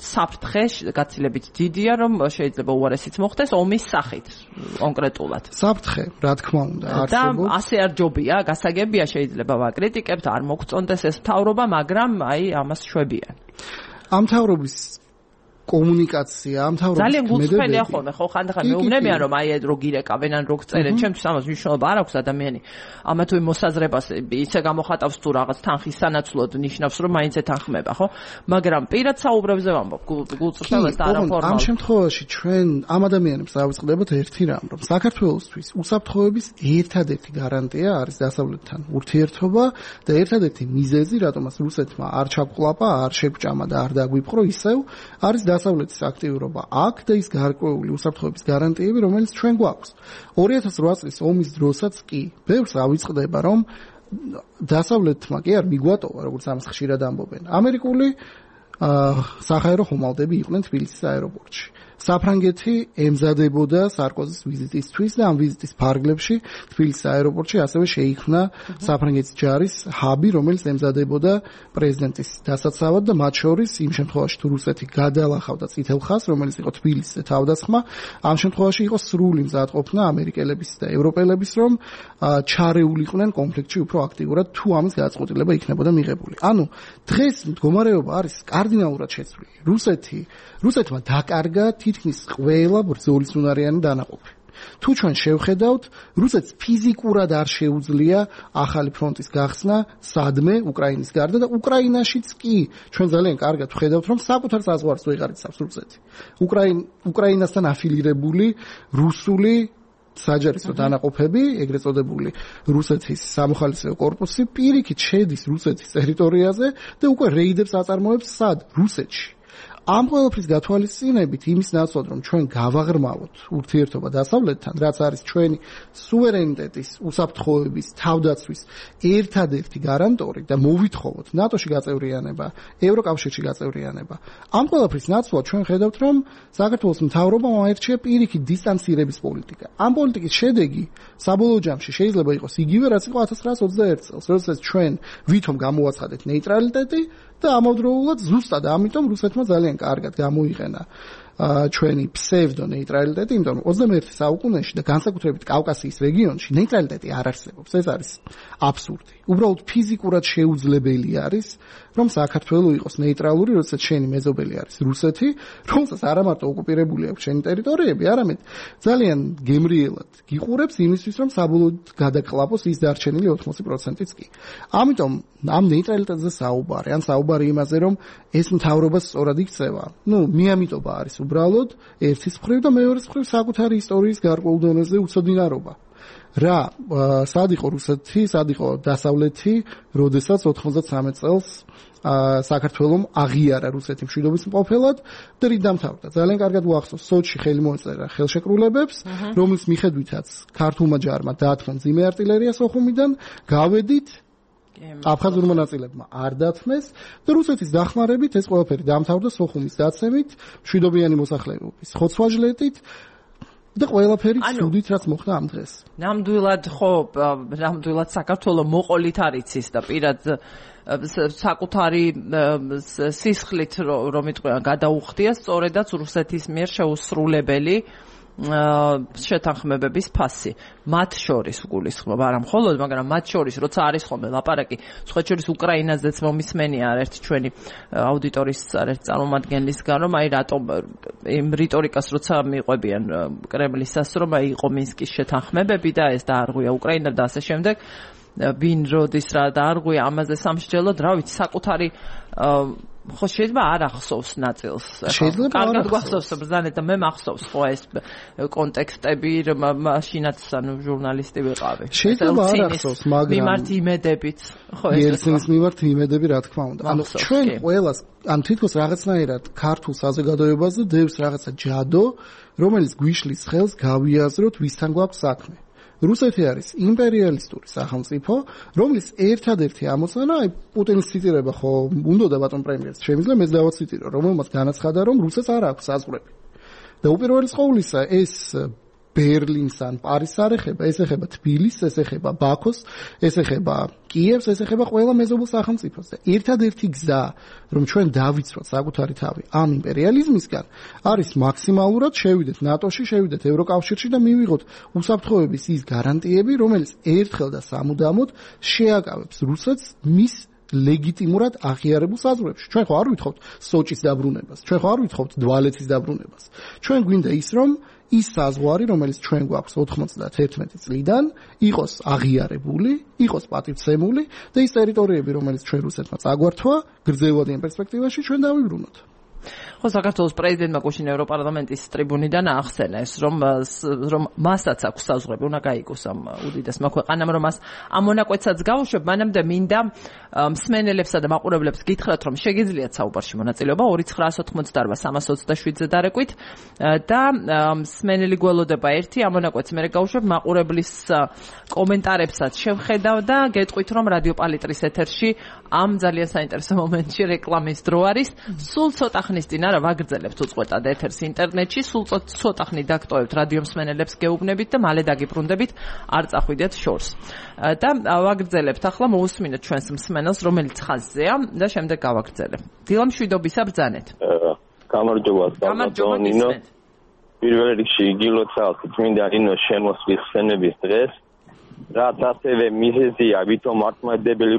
საფრთხე გაცილებით დიდია, რომ შეიძლება უარესიც მოხდეს ომის სახით კონკრეტულად. საფრთხე, რა თქმა უნდა, არსებობს. და ასე არ ჯობია, გასაგებია, შეიძლება ვაკრიტიკებთ, არ მოგწონდეს ეს მთავრობა, მაგრამ აი ამას შვებიან. ამ მთავრობის კომუნიკაცია, ამ თავრობის ძალიან გულწრფელია ხოლმე, ხო, ხანდახან მეუბნებიან, რომ აი რო გირეკავენ ან რო გწერენ, ჩემთვის ამას მნიშვნელობა არ აქვს ადამიანი. ამა თუ იმ მოსაზრებას ისე გამოხატავს თუ რაღაც თანხის სანაცვლოდ ნიშნავს, რომ მაინც ეთანხმება, ხო? მაგრამ პირად საუბრებზე ვამბობ, გულწრფელას და არაფორმალ. ამ შემთხვევაში ჩვენ ამ ადამიანებს დავიწყდებათ ერთი რამ, რომ საქართველოსთვის უსაფრთხოების ერთადერთი გარანტია არის დასავლეთთან ურთიერთობა და ერთადერთი მიზეზი, რატომაც რუსეთმა არ ჩაგვყლაპა, არ შეგვჭამა და არ დაგვიპყრო ისევ, არის დასავლეთის აქტიურობა აქ და ის გარკვეული უსაფრთხოების გარანტიები, რომელიც ჩვენ გვაქვს. ორი ათას რვა წლის ომის დროსაც კი ბევრს ავიწყდება, რომ დასავლეთმა კი არ მიგვატოვა, როგორც ამას ხშირად ამბობენ. ამერიკული საჰაერო ხომალდები იყვნენ თბილისის აეროპორტში. საფრანგეთი ემზადებოდა სარკოზის ვიზიტისთვის და ამ ვიზიტის ფარგლებში თბილისის აეროპორტში ასევე შეიქმნა საფრანგეთის ჯარის ჰაბი, რომელიც ემზადებოდა პრეზიდენტის დასაცავად და მათ შორის იმ შემთხვევაში თუ რუსეთი გადალახავდა წითელ ხაზს, რომელიც იყო თბილისზე თავდასხმა, ამ შემთხვევაში იყო სრული მზადყოფნა ამერიკელების და ევროპელების, რომ ჩარეულიყვნენ კონფლიქტში უფრო აქტიურად, თუ ამის გადაწყვეტილება იქნებოდა მიღებული. ანუ დღეს მდგომარეობა არის კარდინალურად შეცვლილი. რუსეთი რუსეთმა დაკარგა თითქმის ყველა ბრძოლის უნარიანი დანაყოფი. თუ ჩვენ შევხედავთ, რუსეთს ფიზიკურად არ შეუძლია ახალი ფრონტის გახსნა სადმე უკრაინის გარდა და უკრაინაშიც კი ჩვენ ძალიან კარგად ვხედავთ, რომ საკუთარ საზღვარს ვეღარ იცავს რუსეთი. უკრაინ უკრაინასთან აფილირებული რუსული საჯარისო დანაყოფები, ეგრეთ წოდებული რუსეთის სამოხალისეო კორპუსი პირიქით შედის რუსეთის ტერიტორიაზე და უკვე რეიდებს აწარმოებს სად? რუსეთში. ამ ყველაფრის გათვალისწინებით იმის ნაცვლად რომ ჩვენ გავაღრმავოთ ურთიერთობა დასავლეთთან, რაც არის ჩვენი სუვერენიტეტის, უსაფრთხოების, თავდაცვის ერთადერთი გარანტორი და მოვითხოვოთ ნატოში გაწევრიანება, ევროკავშირში გაწევრიანება. ამ ყველაფრის ნაცვლად ჩვენ ხედავთ რომ საქართველოს მთავრობამ აერჩია პირიქით დისტანცირების პოლიტიკა. ამ პოლიტიკის შედეგი საბოლოო ჯამში შეიძლება იყოს იგივე რაც იყო ათას ცხრაასი ოცდაერთი წელს, როდესაც ჩვენ ვითომ გამოვაცხადეთ ნეიტრალიტეტი და ამავდროულად ზუსტად ამიტომ რუსეთმა ძალიან კარგად გამოიყენა ჩვენი ფსევდო ნეიტრალიტეტი, იმიტომ რომ ოცდამეერთე საუკუნეში და განსაკუთრებით კავკასიის რეგიონში ნეიტრალიტეტი არ არსებობს. ეს არის აბსურდი. უბრალოდ ფიზიკურად შეუძლებელი არის, რომ საქართველო იყოს ნეიტრალური, როდესაც შენი მეზობელი არის რუსეთი, რომელსაც არა მარტო ოკუპირებული აქვს შენი ტერიტორიები, არამედ ძალიან გემრიელად გიყურებს იმისთვის, რომ საბოლოოდ გადაკლაპოს ის დარჩენილი ოთხმოცი პროცენტიც კი. ამიტომ ამ ნეიტრალიტეტზე საუბარი, ან საუბარი იმაზე, რომ ეს მთავრობა სწორად იქცევა. ნუ მიამიტობა არის უბრალოდ ერთის მხრივ და მეორეს მხრივ საკუთარი ისტორიის გარკვეულ დონეზე უცოდინარობა. რა სად იყო რუსეთი, სად იყო დასავლეთი, როდესაც ოთხმოცდამეცხრე წელს საქართველომ აღიარა რუსეთი მშვიდობის მყოფელად და რით დამთავრდა. ძალიან კარგად უახსოვს, სოჩში ხელი მოეწერა ხელშეკრულებებს, რომლის მიხედვითაც ქართულმა ჯარმა დაათმო მძიმე არტილერია სოხუმიდან, გავედით აფხაზურ მონაწილებმა არ დათმეს და რუსეთის დახმარებით ეს ყველაფერი დამთავრდა სოხუმის დაცემით, მშვიდობიანი მოსახლეობის ხოცვა-ჟლეტით და ყველაფერი ცუდით რაც მოხდა ამ დღეს. ნამდვილად ხო, ნამდვილად საქართველო მოყოლით არ იცის და პირად საკუთარი სისხლით რომ იტყვიან გადაუხდია სწორედაც რუსეთის მიერ შეუსრულებელი შეთანხმებების ფასი. მათ შორის გულისხმობ, არა მხოლოდ, მაგრამ მათ შორის, როცა არის ხოლმე ლაპარაკი, სხვა შორის უკრაინაზეც მომისმენია ერთ ჩვენი აუდიტორის ერთ წარმომადგენლისგან, რომ აი რატომ იმ რიტორიკას როცა მიყვებიან კრემლისას, რომ აი იყო მინსკის შეთანხმებები და ეს დაარღვია უკრაინა და ასე შემდეგ, ვინ როდის რა დაარღვია ამაზე სამსჯელოდ, რა ვიცი, საკუთარი ხო შეიძლება არ ახსოვს ნაწილს. შეიძლება კარგად გვახსოვს ბრძანეთ და მე მახსოვს ხო ეს კონტექსტები, მაშინაც ანუ ჟურნალისტი ვიყავი. შეიძლება არ ახსოვს, მაგრამ მიმართ იმედებით, ხო ეს ელცინის მიმართ იმედები რა თქმა უნდა. ანუ ჩვენ ყველას ან თითქოს რაღაცნაირად ქართულ საზოგადოებაზე დევს რაღაცა ჯადო, რომელიც გვიშლის ხელს გავიაზროთ ვისთან გვაქვს საქმე. რუსეთი არის იმპერიალისტური სახელმწიფო, რომლის ერთადერთი ამოცანა, აი პუტინის ციტირება ხო უნდა ბატონ პრემიერს, შემიძლია მეც დავაციტირო, რომელმაც განაცხადა, რომ რუსეთს არ აქვს საზღვრები. და უპირველეს ყოვლისა ეს ბერლინს ან პარიზს არ ეხება, ეს ეხება თბილისს, ეს ეხება ბაქოს, ეს ეხება კიევს, ეს ეხება ყველა მეზობელ სახელმწიფოს. და ერთადერთი გზა, რომ ჩვენ დავიცვათ საკუთარი თავი ამ იმპერიალიზმისგან, არის მაქსიმალურად შევიდეთ ნატოში, შევიდეთ ევროკავშირში და მივიღოთ უსაფრთხოების ის გარანტიები, რომელიც ერთხელ და სამუდამოდ შეაკავებს რუსეთს მის ლეგიტიმურად აღიარებულ საზღვრებში. ჩვენ ხო არ ვითხოვთ სოჭის დაბრუნებას, ჩვენ ხო არ ვითხოვთ დვალეთის დაბრუნებას. ჩვენ გვინდა ის, რომ ის საზღვარი, რომელიც ჩვენ გვაქვს ოთხმოცდაათერთმეტი წლიდან, იყოს აღიარებული, იყოს პატივცემული და ის ტერიტორიები, რომელიც ჩვენ რუსეთმა წაგვართვა, გრძელვადიან პერსპექტივაში ჩვენ დავიბრუნოთ. ხო, საქართველოს პრეზიდენტმა გუშინ ევროპარლამენტის ტრიბუნიდან აახსენა ეს, რომ რომ მასაც აქვს საზღვრები, უნდა გაიგოს ამ უდიდესმა ქვეყანამ, რომ მას ამ მონაკვეთსაც გაუშვებ, მანამდე მინდა მსმენელებსა და მაყურებლებს გითხრათ, რომ შეგიძლიათ საუბარში მონაწილეობა ორი ცხრაასი ოცდაოთხი სამას ოცდაშვიდზე დარეკვით და მსმენელი გველოდება ერთი, ამ მონაკვეთს მე გაუშვებ, მაყურებლის კომენტარებსაც შევხედავ და გეტყვით, რომ რადიო პალიტრის ეთერში ამ ძალიან საინტერესო მომენტში რეკლამის დრო არის. სულ ცოტა ხნის წინ არა ვაგრძელებთ უწყვეტად ეთერს ინტერნეტში, სულ ცოტა ხნით დაგტოვებთ რადიო მსმენელებს გეუბნებით და მალე დაგიბრუნდებით, არ წახვიდეთ შორს. და ვაგრძელებთ ახლა მოусმინეთ ჩვენს მსმენელს, რომელიც ხაზზეა და შემდეგ გავაგრძელებ. დილა მშვიდობისა ბრძანეთ. გამარჯობა, გამარჯობა ნინო. პირველ რიგში იგილოცავთ წმინდა ნინოს შემოსვლის ხსენების დღეს, რაც ასევე მიზეზია ვითომ მართლმადიდებელი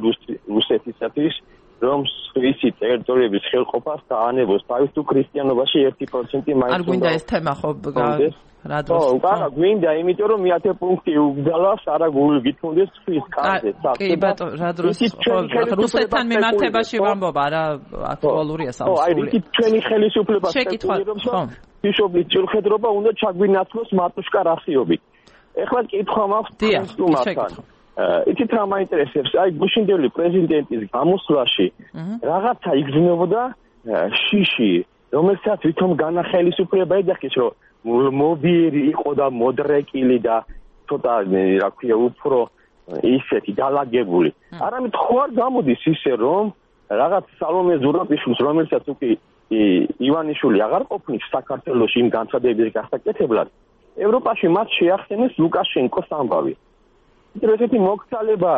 რუსეთისათვის, რომ სვისი ტერიტორიების ხელყოფას დაანებოს თავის თუ ქრისტიანობაში ერთი პროცენტი მაინც. არ გვინდა ეს თემა ხო რა დროს? ხო, არა გვინდა, იმიტომ რომ მეათე პუნქტი უგზალავს, არა გითხოვდეს სვის კარზე. კი ბატონო, რა დროს? რუსეთთან მიმართებაში ვამბობ, არა აქტუალურია საუბარი. ხო, აი რითი ჩვენი ხელისუფლება შეკითხვა, ხო. ბიშოპის ჭირხედრობა უნდა ჩაგვინაცვლოს მატუშკა რასიობით. ეხლა კითხვა მაქვს თუმასთან. იცით რა მაინტერესებს, აი გუშინდელი პრეზიდენტის გამოსვლაში რაღაცა იგრძნობოდა შიში რომელსაც ვითომ განახელისუფლება ეძახის, რომ მობიერი იყო და მოდრეკილი და ცოტა რა ქვია უფრო ისეთი დალაგებული. არამედ ხო არ გამოდის ისე რომ რაღაც სალომე ზურაბიშვილს რომელსაც უკვე ივანიშვილი აღარ ყოფნის საქართველოში იმ განცხადების გასაკეთებლად ევროპაში მათ შეახსენეს ლუკაშენკოს ამბავი. ესეთი მოგცალება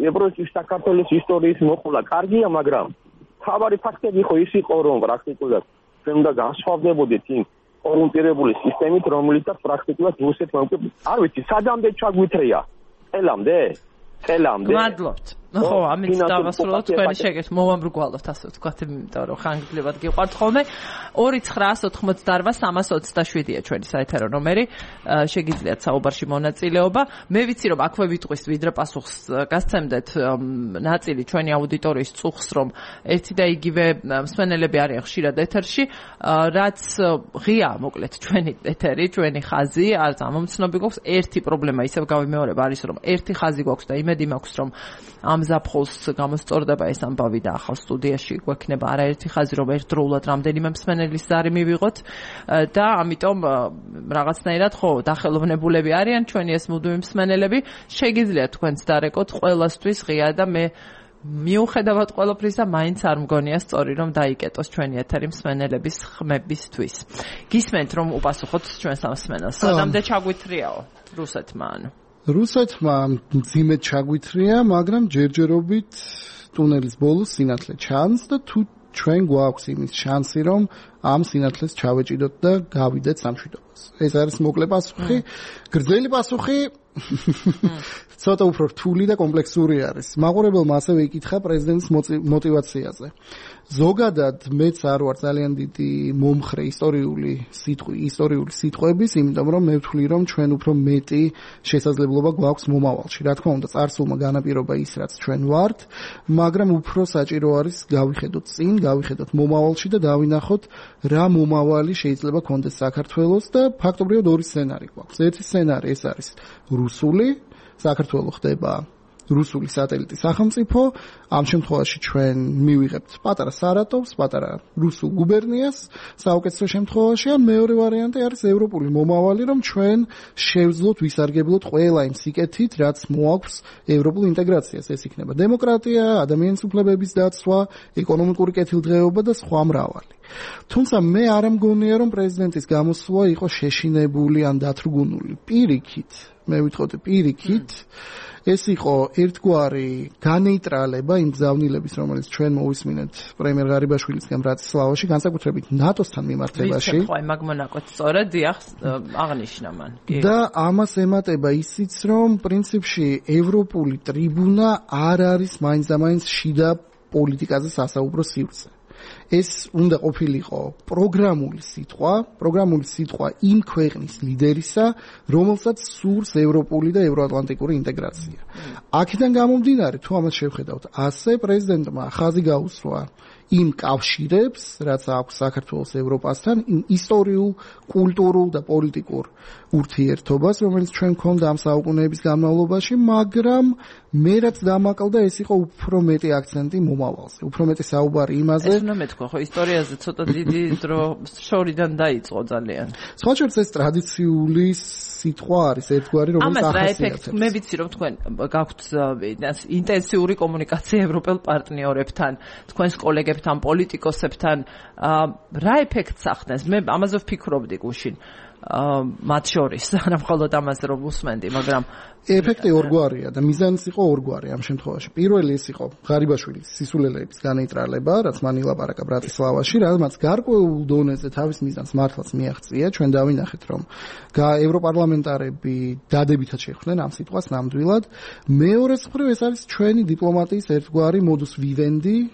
ევროპის საქართველოს ისტორიის მოყოლა კარგია, მაგრამ თავარი ფაქტები ხო ის იყო რომ პრაქტიკულად ჩვენ უნდა განსხვავდებოდეთ იმ კორუმპირებული სისტემით, რომელიცაც პრაქტიკულად რუსეთმა უკვე არ ვიცი, სადამდე ჩაგვითრია. წელამდე? წელამდე. მადლობთ. ხო, ამით დავასრულოთ თქვენი შეკითხვა, მოვამრგვალოთ ასე ვთქვათ, იმიტომ რომ ხანგრძლივად გიყვართ ხოლმე. ორი ცხრაას ოთხმოცდაარვა სამას ოცდაშვიდია ჩვენი საეთერო ნომერი. შეგიძლიათ საუბარში მონაწილეობა. მე ვიცი რომ აქვე ვიტყვის ვიდრე პასუხს გასცემდეთ ნაწილი ჩვენი აუდიტორიის წუხს, რომ ერთი და იგივე მსმენელები არიან ხშირად ეთერში, რაც ღია მოკლედ ჩვენი ეთერი, ჩვენი ხაზი, არც ამომცნობი გვაქვს. ერთი პრობლემა ისევ გავიმეორებ არის რომ ერთი ხაზი გვაქვს და იმედი მაქვს რომ ამ ზაფხულს გამოსწორდება ეს ამბავი და ახალ სტუდიაში გვექნება არაერთი ხაზი რომ ერთდროულად რამდენიმე მსმენელის ზარი მივიღოთ და ამიტომ რაღაცნაირად ხო დახელოვნებულები არიან ჩვენი ეს მუდმივი მსმენელები შეგიძლიათ თქვენც დარეკოთ ყველასთვის ღია და მე მიუხედავად ყველაფრისა მაინც არ მგონია სწორი რომ დაიკეტოს ჩვენი ეთერი მსმენელების ხმებისთვის გისმენთ რომ უპასუხოთ ჩვენს ამ მსმენელს სადამდე ჩაგვითრიაო რუსეთმა ანუ რუსეთმა მძიმედ ჩაგვითრია, მაგრამ ჯერჯერობით ტუნელის ბოლოს სინათლე ჩანს და თუ ჩვენ გვაქვს იმის შანსი, რომ ამ სინათლეს ჩავეჭიდოთ და გავიდეთ სამშვიდობას. ეს არის მოკლე პასუხი. გრძელი პასუხი ცოტა უფრო რთული და კომპლექსური არის. მაყურებელმა ასევე იკითხა პრეზიდენტის мотиваციაზე. ზოგადად მეც არ ვარ ძალიან დიდი მომხრე ისტორიული სიტყვი, ისტორიული სიტყვების, იმიტომ რომ მე ვთვლი რომ ჩვენ უფრო მეტი შესაძლებლობა გვაქვს მომავალში. რა თქმა უნდა, წარსულმა განაპირობა ის, რაც ჩვენ ვართ, მაგრამ უფრო საჭირო არის გავიხედოთ წინ, გავიხედოთ მომავალში და დავინახოთ რა მომავალი შეიძლება კონდეს საქართველოს და ფაქტობრივად ორი სცენარი გვაქვს. ერთი სცენარი ეს არის რუსული, საქართველოს ხდება რუსული სატელიტი სახელმწიფო, ამ შემთხვევაში ჩვენ მივიღებთ პატარა სარატოვს, პატარა რუსულ გუბერნიას, საუკეთესო შემთხვევაში, ან მეორე ვარიანტი არის ევროპული მომავალი, რომ ჩვენ შევძლოთ, ვისარგებლოთ ყველა იმ სიკეთით, რაც მოაქვს ევროპულ ინტეგრაციას. ეს იქნება დემოკრატია, ადამიანის უფლებების დაცვა, ეკონომიკური კეთილდღეობა და სხვა მრავალი. თუმცა მე არ მგონია, რომ პრეზიდენტის გამოსვლა იყო შეშინებული ან დათრგუნული. პირიქით, მე ვიტყოდი პირიქით, ეს იყო ერთგვარი განეიტრალება იმ გზავნილების, რომელიც ჩვენ მოვისმინეთ პრემიერ ღარიბაშვილისგან ბრატისლავაში, განსაკუთრებით ნატოსთან მიმართებაში. ვიცი, ხო, მაგ მონაკოც სწორად დიახ აღნიშნა მან. და ამას ემატება ისიც, რომ პრინციპში ევროპული ტრიბუნა არ არის მაინც და მაინც შიდა პოლიტიკაზე სასაუბრო სივრცე. ეს უნდა ყოფილიყო პროგრამული სიტყვა, პროგრამული სიტყვა იმ ქვეყნის ლიდერისა, რომელსაც სურს ევროპული და ევროატლანტიკური ინტეგრაცია. აქედან გამომდინარე, თუ ამას შევხედავთ, ასე პრეზიდენტმა ხაზი გაუსვა იმ კავშირებს, რაც აქვს საქართველოს ევროპასთან, იმ ისტორიულ, კულტურულ და პოლიტიკურ ურთიერთობას, რომელიც ჩვენ გვქონდა ამ საუკუნეების განმავლობაში, მაგრამ მე რაც დამაკლდა, ეს იყო უფრო მეტი აქცენტი მომავალზე, უფრო მეტი საუბარი იმაზე. ეს უნდა მეთქვა, ხო, ისტორიაზე ცოტა დიდი დრო შორიდან დაიწყო ძალიან. სხვა შორის ეს ტრადიციული სიტყვა არის ერთგვარი, რომელიც ახასიათებს. მე ვიცი, რომ თქვენ გაქვთ ინტენსიური კომუნიკაცია ევროპელ პარტნიორებთან, თქვენს კოლეგებთან, პოლიტიკოსებთან, რა ეფექტს ახდენს? მე ამაზე ვფიქრობდი გუშინ. მათ შორის, არა მხოლოდ ამაზე რომ უსმენდი, მაგრამ ეფექტი ორგვარია და მიზანიც იყო ორგვარი ამ შემთხვევაში. პირველი ეს იყო ღარიბაშვილის სისულელეების განეიტრალება, რაც მან ილაპარაკა ბრატისლავაში, რაც გარკვეულ დონეზე თავის მიზანს მართლაც მიაღწია. ჩვენ დავინახეთ, რომ ევროპარლამენტარები დადებითად შეხვდნენ ამ სიტყვას ნამდვილად. მეორეს მხრივ ეს არის ჩვენი დიპლომატიის ერთგვარი modus vivendi,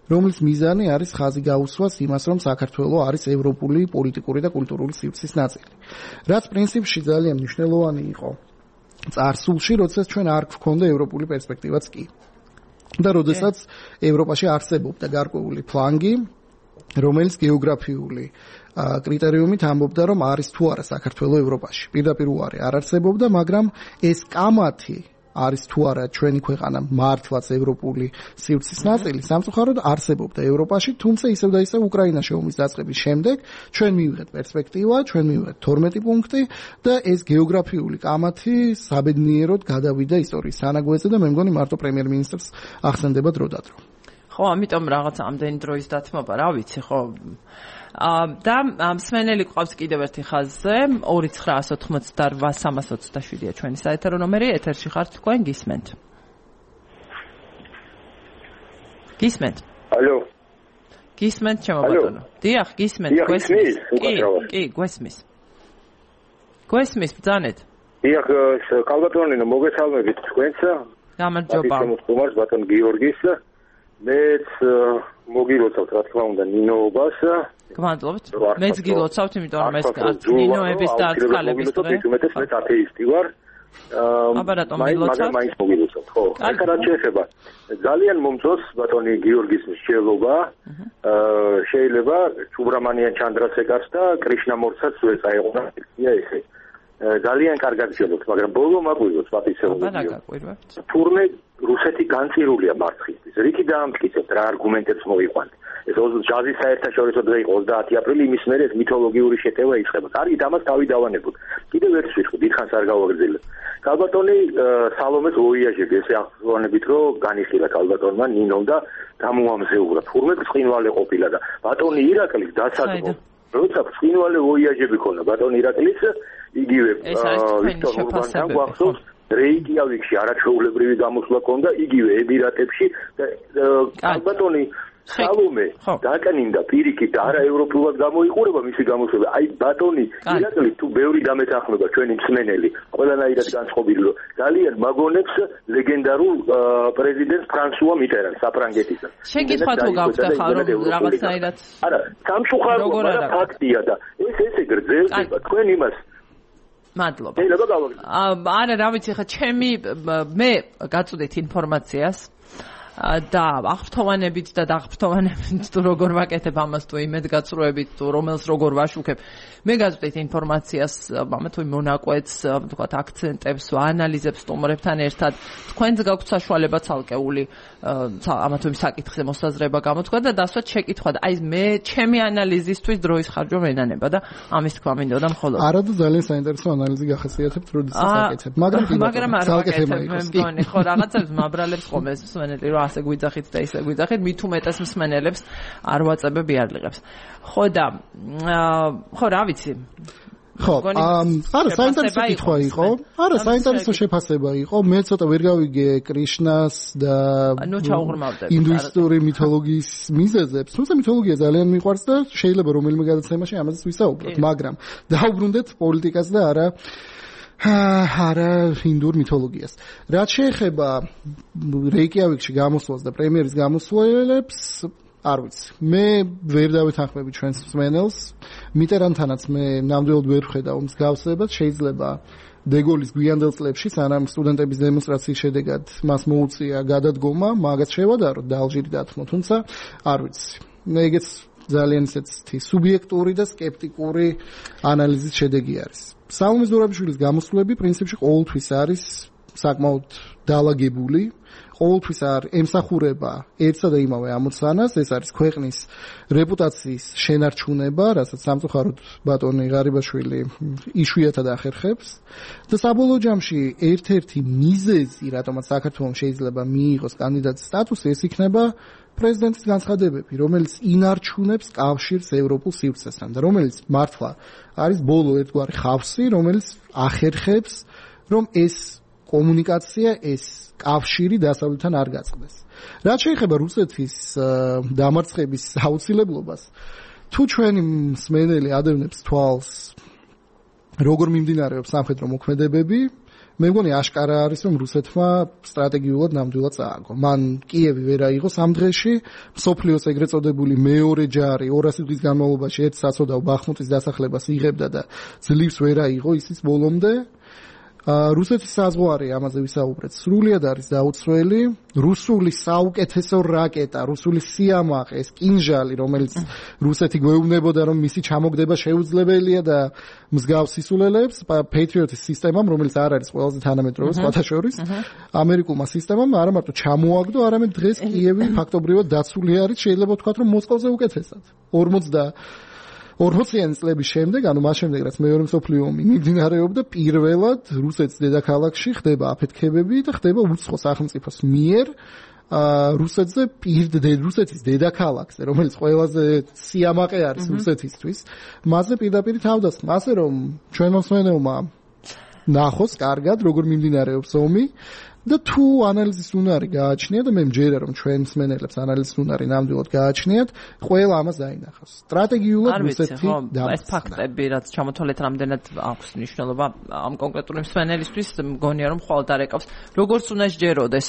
რომლის მიზანი არის ხაზი გაუსვას იმას, რომ საქართველო არის ევროპული პოლიტიკური და კულტურული სივრცის ნაწილი. რაც პრინციპში ძალიან მნიშვნელოვანი იყო წარსულში, როდესაც ჩვენ არ გვქონდა ევროპული პერსპექტივაც კი. და როდესაც ევროპაში არსებობდა გარკვეული ფლანგი, რომელიც გეოგრაფიული კრიტერიუმით ამბობდა, რომ არის თუ არა საქართველო ევროპაში. პირდაპირ უარი არ არსებობდა, მაგრამ ეს კამათი არის თუ არა ჩვენი ქვეყანა მართლაც ევროპული სივრცის ნაწილი, სამწუხაროდ არსებობდა ევროპაში, თუმცა ისევ და ისევ უკრაინაში ომის დაწყების შემდეგ ჩვენ მივიღეთ პერსპექტივა, ჩვენ მივიღეთ თორმეტი პუნქტი და ეს გეოგრაფიული კამათი საბედნიეროდ გადავიდა ისტორიის სანაგვეზე და მე მგონი მარტო პრემიერ-მინისტრს ახსენდება დრო და დრო. ხო, ამიტომ რაღაც ამდენი დროის დათმობა, რა ვიცი, ხო. და მსმენელი ყავს კიდევ ერთი ხაზზე ორი ცხრაას ოთხმოცდაორვა სამას ოცდაშვიდია ჩვენი საეთერო ნომერი, ეთერში ხართ თქვენ, გისმენთ. გისმენთ. ალო. გისმენთ ჩემო ბატონო. დიახ, გისმენთ, გვესმის. კი, კი, გვესმის. გვესმის ბრძანეთ. დიახ, კალბატონინო, მოგესალმებით თქვენსა. გამარჯობა. მომწონს ბატონ გიორგის. მეც მოგილოცავთ რა თქმა უნდა ნინოობას. გმადლობთ. მეც გილოცავთ, იმიტომ რომ ეს ნინოების დაწყალების დღე. უმეტეს მეც ათეისტი ვარ. აბა რატომ გილოცავთ? მაგრამ მაინც მოგილოცავთ, ხო. ეხლა რა შეეხება? ძალიან მომწონს ბატონი გიორგის მსჯელობა. შეიძლება ჩუბრამანიან ჩანდრასეკარს და კრიშნამორცაც ეწაეყო ესე. ძალიან კარგად გჯელობთ, მაგრამ ბოლო მაგვიროს პატიცეულობთ. აბა რა გაკვირვებთ? თურმე რუსეთი განწირულია მარცხისთვის. რითი დაამტკიცებთ, რა არგუმენტებს მოიყვანთ. ეს ჯაზის საერთაშორისო დღე იყო ოცდაათი აპრილი, იმის მერე ეს მითოლოგიური შეტევა იწყება. კარგით, ამას თავი დავანებოთ. კიდევ ერთ შევხვდი, დიდხანს არ გავაგრძელებ. კალბატონი სალომეს ვოიაჟები, ესე ახსოვანებით, რომ განიხილა კალბატონმა ნინომ და გამოამზეურა. თურმე ბრწყინვალე ყოფილა და ბატონი ირაკლის დასაწყო. როცა ბრწყინვალე ვოიაჟები ქონა ბატონი ირაკლის, იგივე ვიქტორ ურბანთან გვახსოვს რეიკიავიკში არაჩვეულებრივი გამოსვლა ქონდა, იგივე ემირატებში კალბატონი სალომე დაკნინდა პირიქით და არა ევროპულად გამოიყურება მისი გამოსვლა. აი ბატონი ირაკლი თუ ბევრი დამეთანხმება ჩვენი მსმენელი, ყველანაირად განწყობილი, რომ ძალიან მაგონებს ლეგენდარულ პრეზიდენტს ფრანსუა მიტერანს საფრანგეთისა. შეკითხვა თუ გაქვთ ახლა რომ რაღაცნაირად არა, სამწუხაროდ მაგრამ ფაქტია და ეს ესე გრძელდება თქვენ იმას მადლობა. არა, რა ვიცი, ხა ჩემი მე გაწვდით ინფორმაციას და აღფრთოვანებით და დაღფრთოვანებით თუ როგორ ვაკეთებ ამას თუ იმედგაცრუებით თუ რომელს როგორ ვაშუქებ. მე გაწვდით ინფორმაციას ამა თუ მონაკვეთს, ვთქვათ, აქცენტებს, ანალიზებს სტუმრებთან ერთად. თქვენც გაქვთ საშუალება ცალკეული ამა თუ იმ საკითხზე მოსაზრება გამოთქვა და დასვათ შეკითხვა და აი მე ჩემი ანალიზისთვის დროის ხარჯვა მენანება და ამის თქვა მინდოდა მხოლოდ. არა და ძალიან საინტერესო ანალიზი გახასიათებთ, როდესაც აკეთებ. მაგრამ მაგრამ არ ვაკეთებ, მე მგონი, ხო, რაღაცებს მაბრალებს ხომ ეს მსმენელი რომ ასე გვიძახით და ისე გვიძახით, მით უმეტეს მსმენელებს არ ვაწებებ იარლიღებს. ხო და ხო რა ვიცი. ხო, არა საინტერესო კითხვა იყო. არა საინტერესო შეფასება იყო. მე ცოტა ვერ გავიგე კრიშნას და ინდუისტური მითოლოგიის მიზეზებს. თუმცა მითოლოგია ძალიან მიყვარს და შეიძლება რომელიმე გადაცემაში ამაზეც ვისაუბროთ, მაგრამ დაუბრუნდეთ პოლიტიკას და არა არა ინდურ მითოლოგიას. რაც შეეხება რეიკიავიკში გამოსვლას და პრემიერის გამოსვლებს, არ ვიცი. მე ვერ დავეთანხმები ჩვენს მსმენელს. მიტერანთანაც მე ნამდვილად ვერ ვხედავ მსგავსებას. შეიძლება დეგოლის გვიანდელ წლებში, სანამ სტუდენტების დემონსტრაციის შედეგად მას მოუწია გადადგომა, მაგაც შევადაროთ და ალჟირი დათმო. თუმცა არ ვიცი. მე ეგეც ძალიან ისეთი სუბიექტური და სკეპტიკური ანალიზის შედეგი არის. სალომე ზურაბიშვილის გამოსვლები პრინციპში ყოველთვის არის საკმაოდ დაალაგებული. ყოველთვის არ ემსახურება ერთსა და იმავე ამოცანას, ეს არის ქვეყნის რეპუტაციის შენარჩუნება, რასაც სამწუხაროდ ბატონი ღარიბაშვილი იშვიათად ახერხებს და საბოლოო ჯამში ერთ-ერთი მიზეზი, რატომაც საქართველოს შეიძლება მიიღოს კანდიდატის სტატუსი, ეს იქნება პრეზიდენტის განცხადებები, რომელიც ინარჩუნებს კავშირს ევროპულ სივრცესთან და რომელიც მართლა არის ბოლო ერთგვარი ხავსი, რომელიც ახერხებს, რომ ეს კომუნიკაცია, ეს კავშირი დასავლეთთან არ გაწყდეს. რაც შეეხება რუსეთის დამარცხების აუცილებლობას, თუ ჩვენი მსმენელი ადევნებს თვალს, როგორ მიმდინარეობს სამხედრო მოქმედებები, მე მგონი აშკარა არის, რომ რუსეთმა სტრატეგიულად ნამდვილად წააგო. მან კიევი ვერ აიღო სამ დღეში, მსოფლიოს ეგრეთ წოდებული მეორე ჯარი ორასი დღის განმავლობაში ერთ საცოდავ ბახმუტის დასახლებას იღებდა და ძლივს ვერ აიღო ისიც ბოლომდე. რუსეთის საზღვარი, ამაზე ვისაუბრეთ, სრულიად არის დაუცველი. რუსული საუკეთესო რაკეტა, რუსული სიამაყე, ეს კინჟალი, რომელიც რუსეთი გვეუბნებოდა, რომ მისი ჩამოგდება შეუძლებელია და მსგავს სისულელეებს, Patriot-ის სისტემამ, რომელიც არ არის ყველაზე თანამედროვე სხვათა შორის, ამერიკულმა სისტემამ არა მარტო ჩამოაგდო, არამედ დღეს კიევი ფაქტობრივად დაცული არის, შეიძლება ვთქვათ, რომ მოსკოვზე უკეთესად. ორმოციანი წლების შემდეგ, ანუ მას შემდეგ, რაც მეორე მსოფლიო ომი მიმდინარეობდა, პირველად რუსეთის დედაქალაქში ხდება აფეთქებები და ხდება უცხო სახელმწიფოს მიერ რუსეთზე პირდ რუსეთის დედაქალაქზე, რომელიც ყველაზე სიამაყე არის რუსეთისთვის, მასზე პირდაპირ თავდასხმა, ასე რომ ჩვენ მოსმენელმა ნახოს კარგად, როგორ მიმდინარეობს ომი და თუ ანალიზის უნარი გააჩნია და მე მჯერა რომ ჩვენ მსმენელებს ანალიზის უნარი ნამდვილად გააჩნიათ, ყველა ამას დაინახავს. სტრატეგიულად რუსეთი და ეს ფაქტები, რაც ჩამოთვალეთ, რამდენად აქვს მნიშვნელობა ამ კონკრეტული მსმენელისთვის, მგონია რომ ხვალ დარეკავს. როგორც უნდა შეჯეროდეს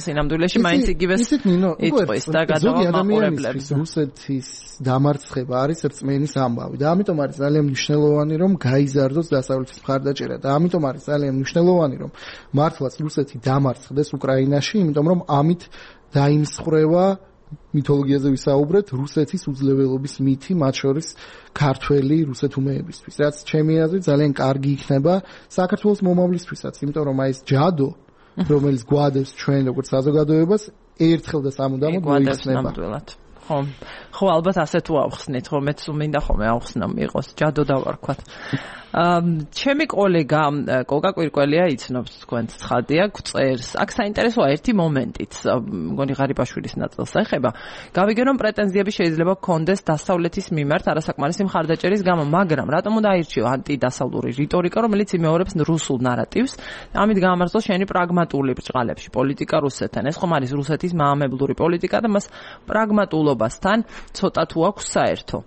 სინამდვილეში, მაინც იგივეს იწვის და გადავამაყურებლებს. რუსეთის დამარცხება არის რწმენის ამბავი და ამიტომ არის ძალიან მნიშვნელოვანი რომ გაიზარდოს დასავლეთის მხარდაჭერა და ამიტომ არის ძალიან მნიშვნელოვანი რომ მართლაც რუსეთი დამარცხდეს უკრაინაში, იმიტომ რომ ამით დაიმსხვრევა მითოლოგიაზე ვისაუბრეთ რუსეთის უძლეველობის მითი, მათ შორის ქართველი რუსეთუმეებისთვის, რაც ჩემი აზრით ძალიან კარგი იქნება საქართველოს მომავლისთვისაც, იმიტომ რომ აი ეს ჯადო, რომელიც გვადებს ჩვენ როგორც საზოგადოებას, ერთხელ და სამუდამოდ მოიხსნება. ხო, ხო, ალბათ ასე თუ ავხსნით, ხო, მეც მინდა ხოლმე ავხსნა მიყოს, ჯადო დავარქვათ. ჩემი კოლეგა კოკა კვირკველია იცნობს თქვენს ცხადია გწერს. აქ საინტერესოა ერთი მომენტიც, მგონი ღარიბაშვილის ნაწილს ეხება. გავიგე რომ პრეტენზიები შეიძლება გქონდეს დასავლეთის მიმართ არასაკმარისი მხარდაჭერის გამო, მაგრამ რატომ უნდა აირჩიო ანტიდასავლური რიტორიკა, რომელიც იმეორებს რუსულ ნარატივს? ამით გაამართლოს შენი პრაგმატული ბრჭყალებში პოლიტიკა რუსეთთან. ეს ხომ არის რუსეთის მაამებლური პოლიტიკა და მას პრაგმატულობასთან ცოტა თუ აქვს საერთო.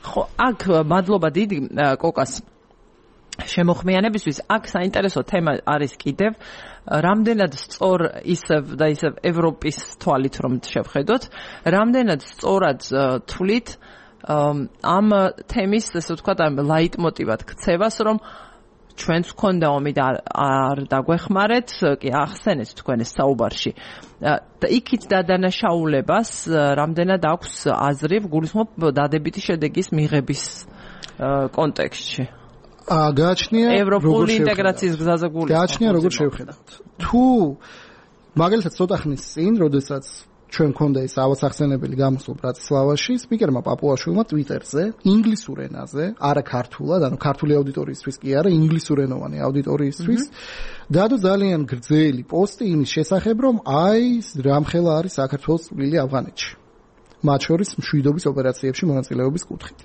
ხო, აქ მადლობა დიდი კოკას შემოხმიანებისთვის. აქ საინტერესო თემა არის კიდევ რამდენად სწორ ისევ და ისევ ევროპის თვალით რომ შევხედოთ, რამდენად სწორად თვლით ამ თემის, ესე ვთქვათ, ამ ლაიტმოტივად ქცევას, რომ ჩვენც გქონდა ომი და არ დაგვეხმარეთ, კი ახსენეთ თქვენ ეს საუბარში. და იქით დადანაშაულებას რამდენად აქვს აზრი, გულისხმობ დადებითი შედეგის მიღების კონტექსტში. გააჩნია ევროპული ინტეგრაციის გზაზე გულისხმობ. გააჩნია როგორ შევხედავთ. თუ მაგალითად ცოტა ხნის წინ, როდესაც ჩვენ მქონდა ეს ავასახსენებელი გამოსვლა ბრატისლავაში, სპიკერმა პაპუაშვილმა ტვიტერზე ინგლისურ ენაზე, არა ქართულად, ანუ ქართული აუდიტორიისთვის კი არა, ინგლისურენოვანი აუდიტორიისთვის დადო ძალიან გრძელი პოსტი იმის შესახებ, რომ აი რამხელა არის საქართველოს წვლილი ავღანეთში. მათ შორის მშვიდობის ოპერაციებში მონაწილეობის კუთხით.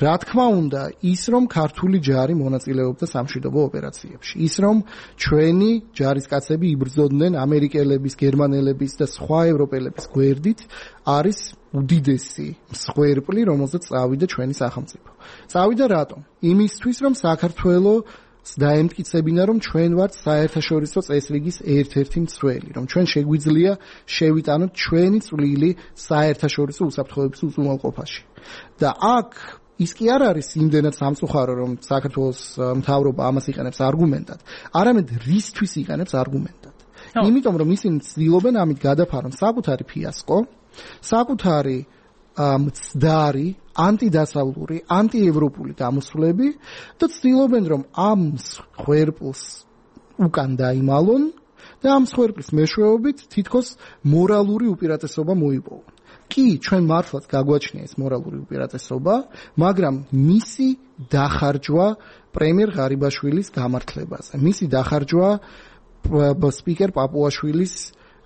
რა თქმა უნდა, ის რომ ქართული ჯარი მონაწილეობდა სამშვიდობო ოპერაციებში, ის რომ ჩვენი ჯარისკაცები იბრძოდნენ ამერიკელების, გერმანელების და სხვა ევროპელების გვერდით, არის უდიდესი მსხვერპლი, რომელზეც წავიდა ჩვენი სახელმწიფო. წავიდა რატომ? იმისთვის, რომ საქართველოს დაემტკიცებინა, რომ ჩვენ ვართ საერთაშორისო წესრიგის ერთ-ერთი მცველი, რომ ჩვენ შეგვიძლია შევიტანოთ ჩვენი წვლილი საერთაშორისო უსაფრთხოების უზრუნველყოფაში. და აქ ის კი არ არის იმდენად სამწუხარო, რომ საქართველოს მთავრობა ამას იყენებს არგუმენტად, არამედ რისთვის იყენებს არგუმენტად. იმიტომ რომ ისინი ცდილობენ ამით გადაფარონ საკუთარი ფიასკო, საკუთარი მცდარი, ანტიდასავლური, ანტიევროპული გამოსვლები და ცდილობენ რომ ამ ხერპლს უკან დაიმალონ და ამ ხერპლის მეშვეობით თითქოს მორალური უპირატესობა მოიპოვონ. კი, ჩვენ მართლაც გაგვაჩნია ეს მორალური უპირატესობა, მაგრამ მისი დახარჯვა პრემიერ ღარიბაშვილის გამართლებაზე. მისი დახარჯვა სპიკერ პაპუაშვილის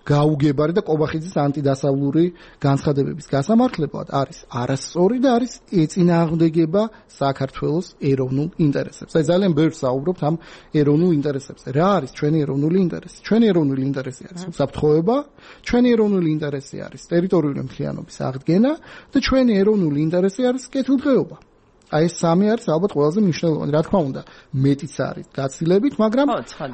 გაუგებარი და კობახიძის ანტიდასავლური განცხადებების გასამართლებლად არის არასწორი და არის ეწინააღმდეგება საქართველოს ეროვნულ ინტერესებს. აი ძალიან ბევრს საუბრობთ ამ ეროვნულ ინტერესებზე. რა არის ჩვენი ეროვნული ინტერესი? ჩვენი ეროვნული ინტერესი არის უსაფრთხოება, ჩვენი ეროვნული ინტერესი არის ტერიტორიული მთლიანობის აღდგენა და ჩვენი ეროვნული ინტერესი არის კეთილდღეობა. აი ეს სამი არის ალბათ ყველაზე მნიშვნელოვანი. რა თქმა უნდა, მეტიც არის გაცილებით, მაგრამ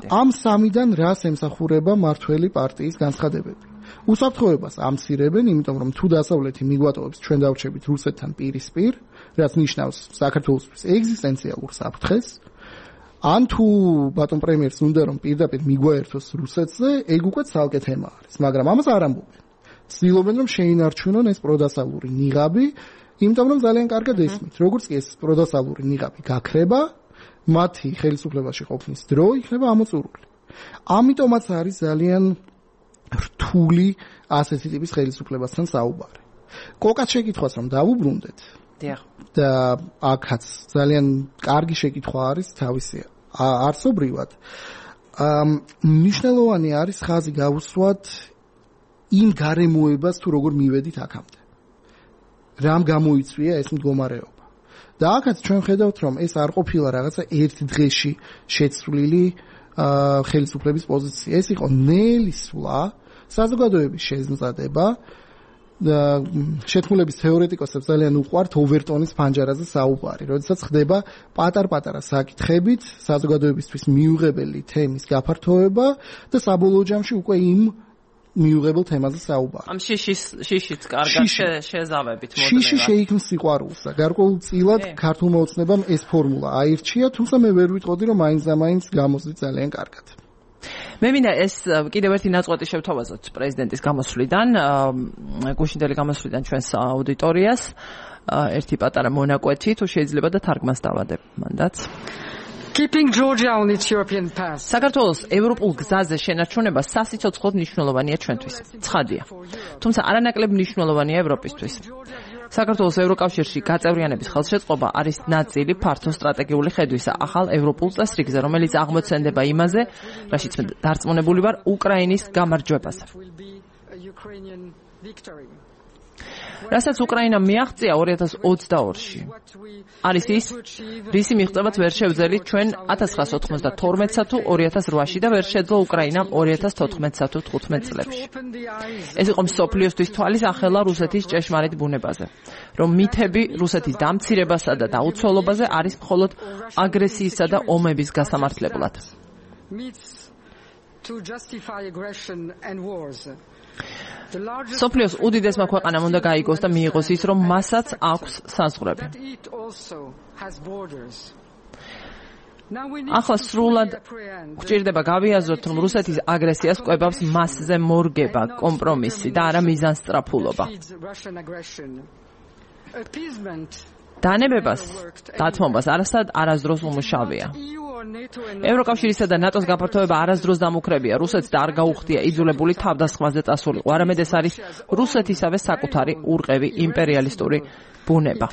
ამ სამიდან რას ემსახურება მართველი პარტიის განცხადებები? უსაფრთხოებას ამცირებენ, იმიტომ რომ თუ დასავლეთი მიგვატოვებს, ჩვენ დავრჩებით რუსეთთან პირისპირ, რაც ნიშნავს საქართველოსთვის ეგზისტენციალურ საფრთხეს. ან თუ ბატონ პრემიერს უნდა რომ პირდაპირ მიგვაერთოს რუსეთზე, ეგ უკვე ცალკე თემა არის, მაგრამ ამას არ ამბობენ. ცდილობენ რომ შეინარჩუნონ ეს პროდასალური ნიღაბი, იმიტომ რომ ძალიან კარგად ესმით, როგორც კი ეს პროდასალური ნიღაბი გაქრება, მათი ხელისუფლებაში ყოფნის დრო იქნება ამოწურული. ამიტომაც არის ძალიან რთული ასეთი ტიპის ხელისუფლებასთან საუბარი. კოკაც შეკითხვას რომ დავუბრუნდეთ. დიახ. და აქაც ძალიან კარგი შეკითხვა არის თავისი არსობრივად. მნიშვნელოვანი არის ხაზი გავუსვათ იმ გარემოებას თუ როგორ მივედით აქამდე. რამ გამოიწვია ეს მდგომარეობა. და აქაც ჩვენ ხედავთ რომ ეს არ ყოფილა რაღაცა ერთ დღეში შეცვლილი ხელისუფლების პოზიცია. ეს იყო ნელი სვლა, საზოგადოების შეზღუდება და შეთქმულების თეორეტიკოსებს ძალიან უყვართ ოვერტონის ფანჯარაზე საუბარი, როდესაც ხდება პატარ-პატარა საკითხებით საზოგადოებისთვის მიუღებელი თემის გაფართოება და საბოლოო ჯამში უკვე იმ მიუღებელ თემაზე საუბარი. ამ შიშის შიშიც კარგად შეზავებით მოდნება. შიში შეიქმნის სიყვარულსა. გარკვეულწილად ქართულმა ოცნებამ ეს ფორმულა აირჩია, თუმცა მე ვერ ვიტყოდი რომ მაინც და მაინც გამოსვლით ძალიან კარგად. მე მინდა ეს კიდევ ერთი ნაწყვეტი შევთავაზოთ პრეზიდენტის გამოსვლიდან, გუშინდელი გამოსვლიდან ჩვენს აუდიტორიას, ერთი პატარა მონაკვეთი, თუ შეიძლება და თარგმანს დავადებ მანდაც. Keeping Georgia on its European path. საქართველოს ევროპულ გზაზე შენარჩუნება სასიცოცხლოდ მნიშვნელოვანია ჩვენთვის. ცხადია. თუმცა არანაკლებ მნიშვნელოვანია ევროპისთვის. საქართველოს ევროკავშირში გაწევრიანების ხელშეწყობა არის ნაწილი ფართო სტრატეგიული ხედვისა ახალ ევროპულ წესრიგზე, რომელიც აღმოცენდება იმაზე, რაშიც მე დარწმუნებული ვარ, უკრაინის გამარჯვებაზე. რასაც უკრაინამ მიაღწია ორი ათას ოცდაორში. არის ის, რისი მიღწევაც ვერ შევძელით ჩვენ ათას ცხრაასა ოთხმოცდათორმეტსა თუ ორი ათას რვაში და ვერ შეძლო უკრაინამ ორი ათას თოთხმეტსა თუ თხუთმეტ წლებში. ეს იყო მსოფლიოსთვის თვალის ახელა რუსეთის ჭეშმარიტ ბუნებაზე, რომ მითები რუსეთის დამცირებასა და დაუცველობაზე არის მხოლოდ აგრესიისა და ომების გასამართლებლად. სოფლიოს უდიდესმა ქვეყანამ უნდა გაიგოს და მიიღოს ის, რომ მასაც აქვს საზღვრები. ახლა სრულად გვჭირდება გავიაზროთ, რომ რუსეთის აგრესიას კვებავს მასზე მორგება, კომპრომისი და არა მიზანსწრაფულობა. დანებებას, დათმობას არასდროს არასდროს უმუშავია. ევროკავშირისა და ნატოს გაფართოება არასდროს დამუქრებია. რუსეთს და არ გაუხდია იძულებული თავდასხმაზე წასულიყო. არამედ ეს არის რუსეთისავე საკუთარი ურყევი იმპერიალისტური ბუნება.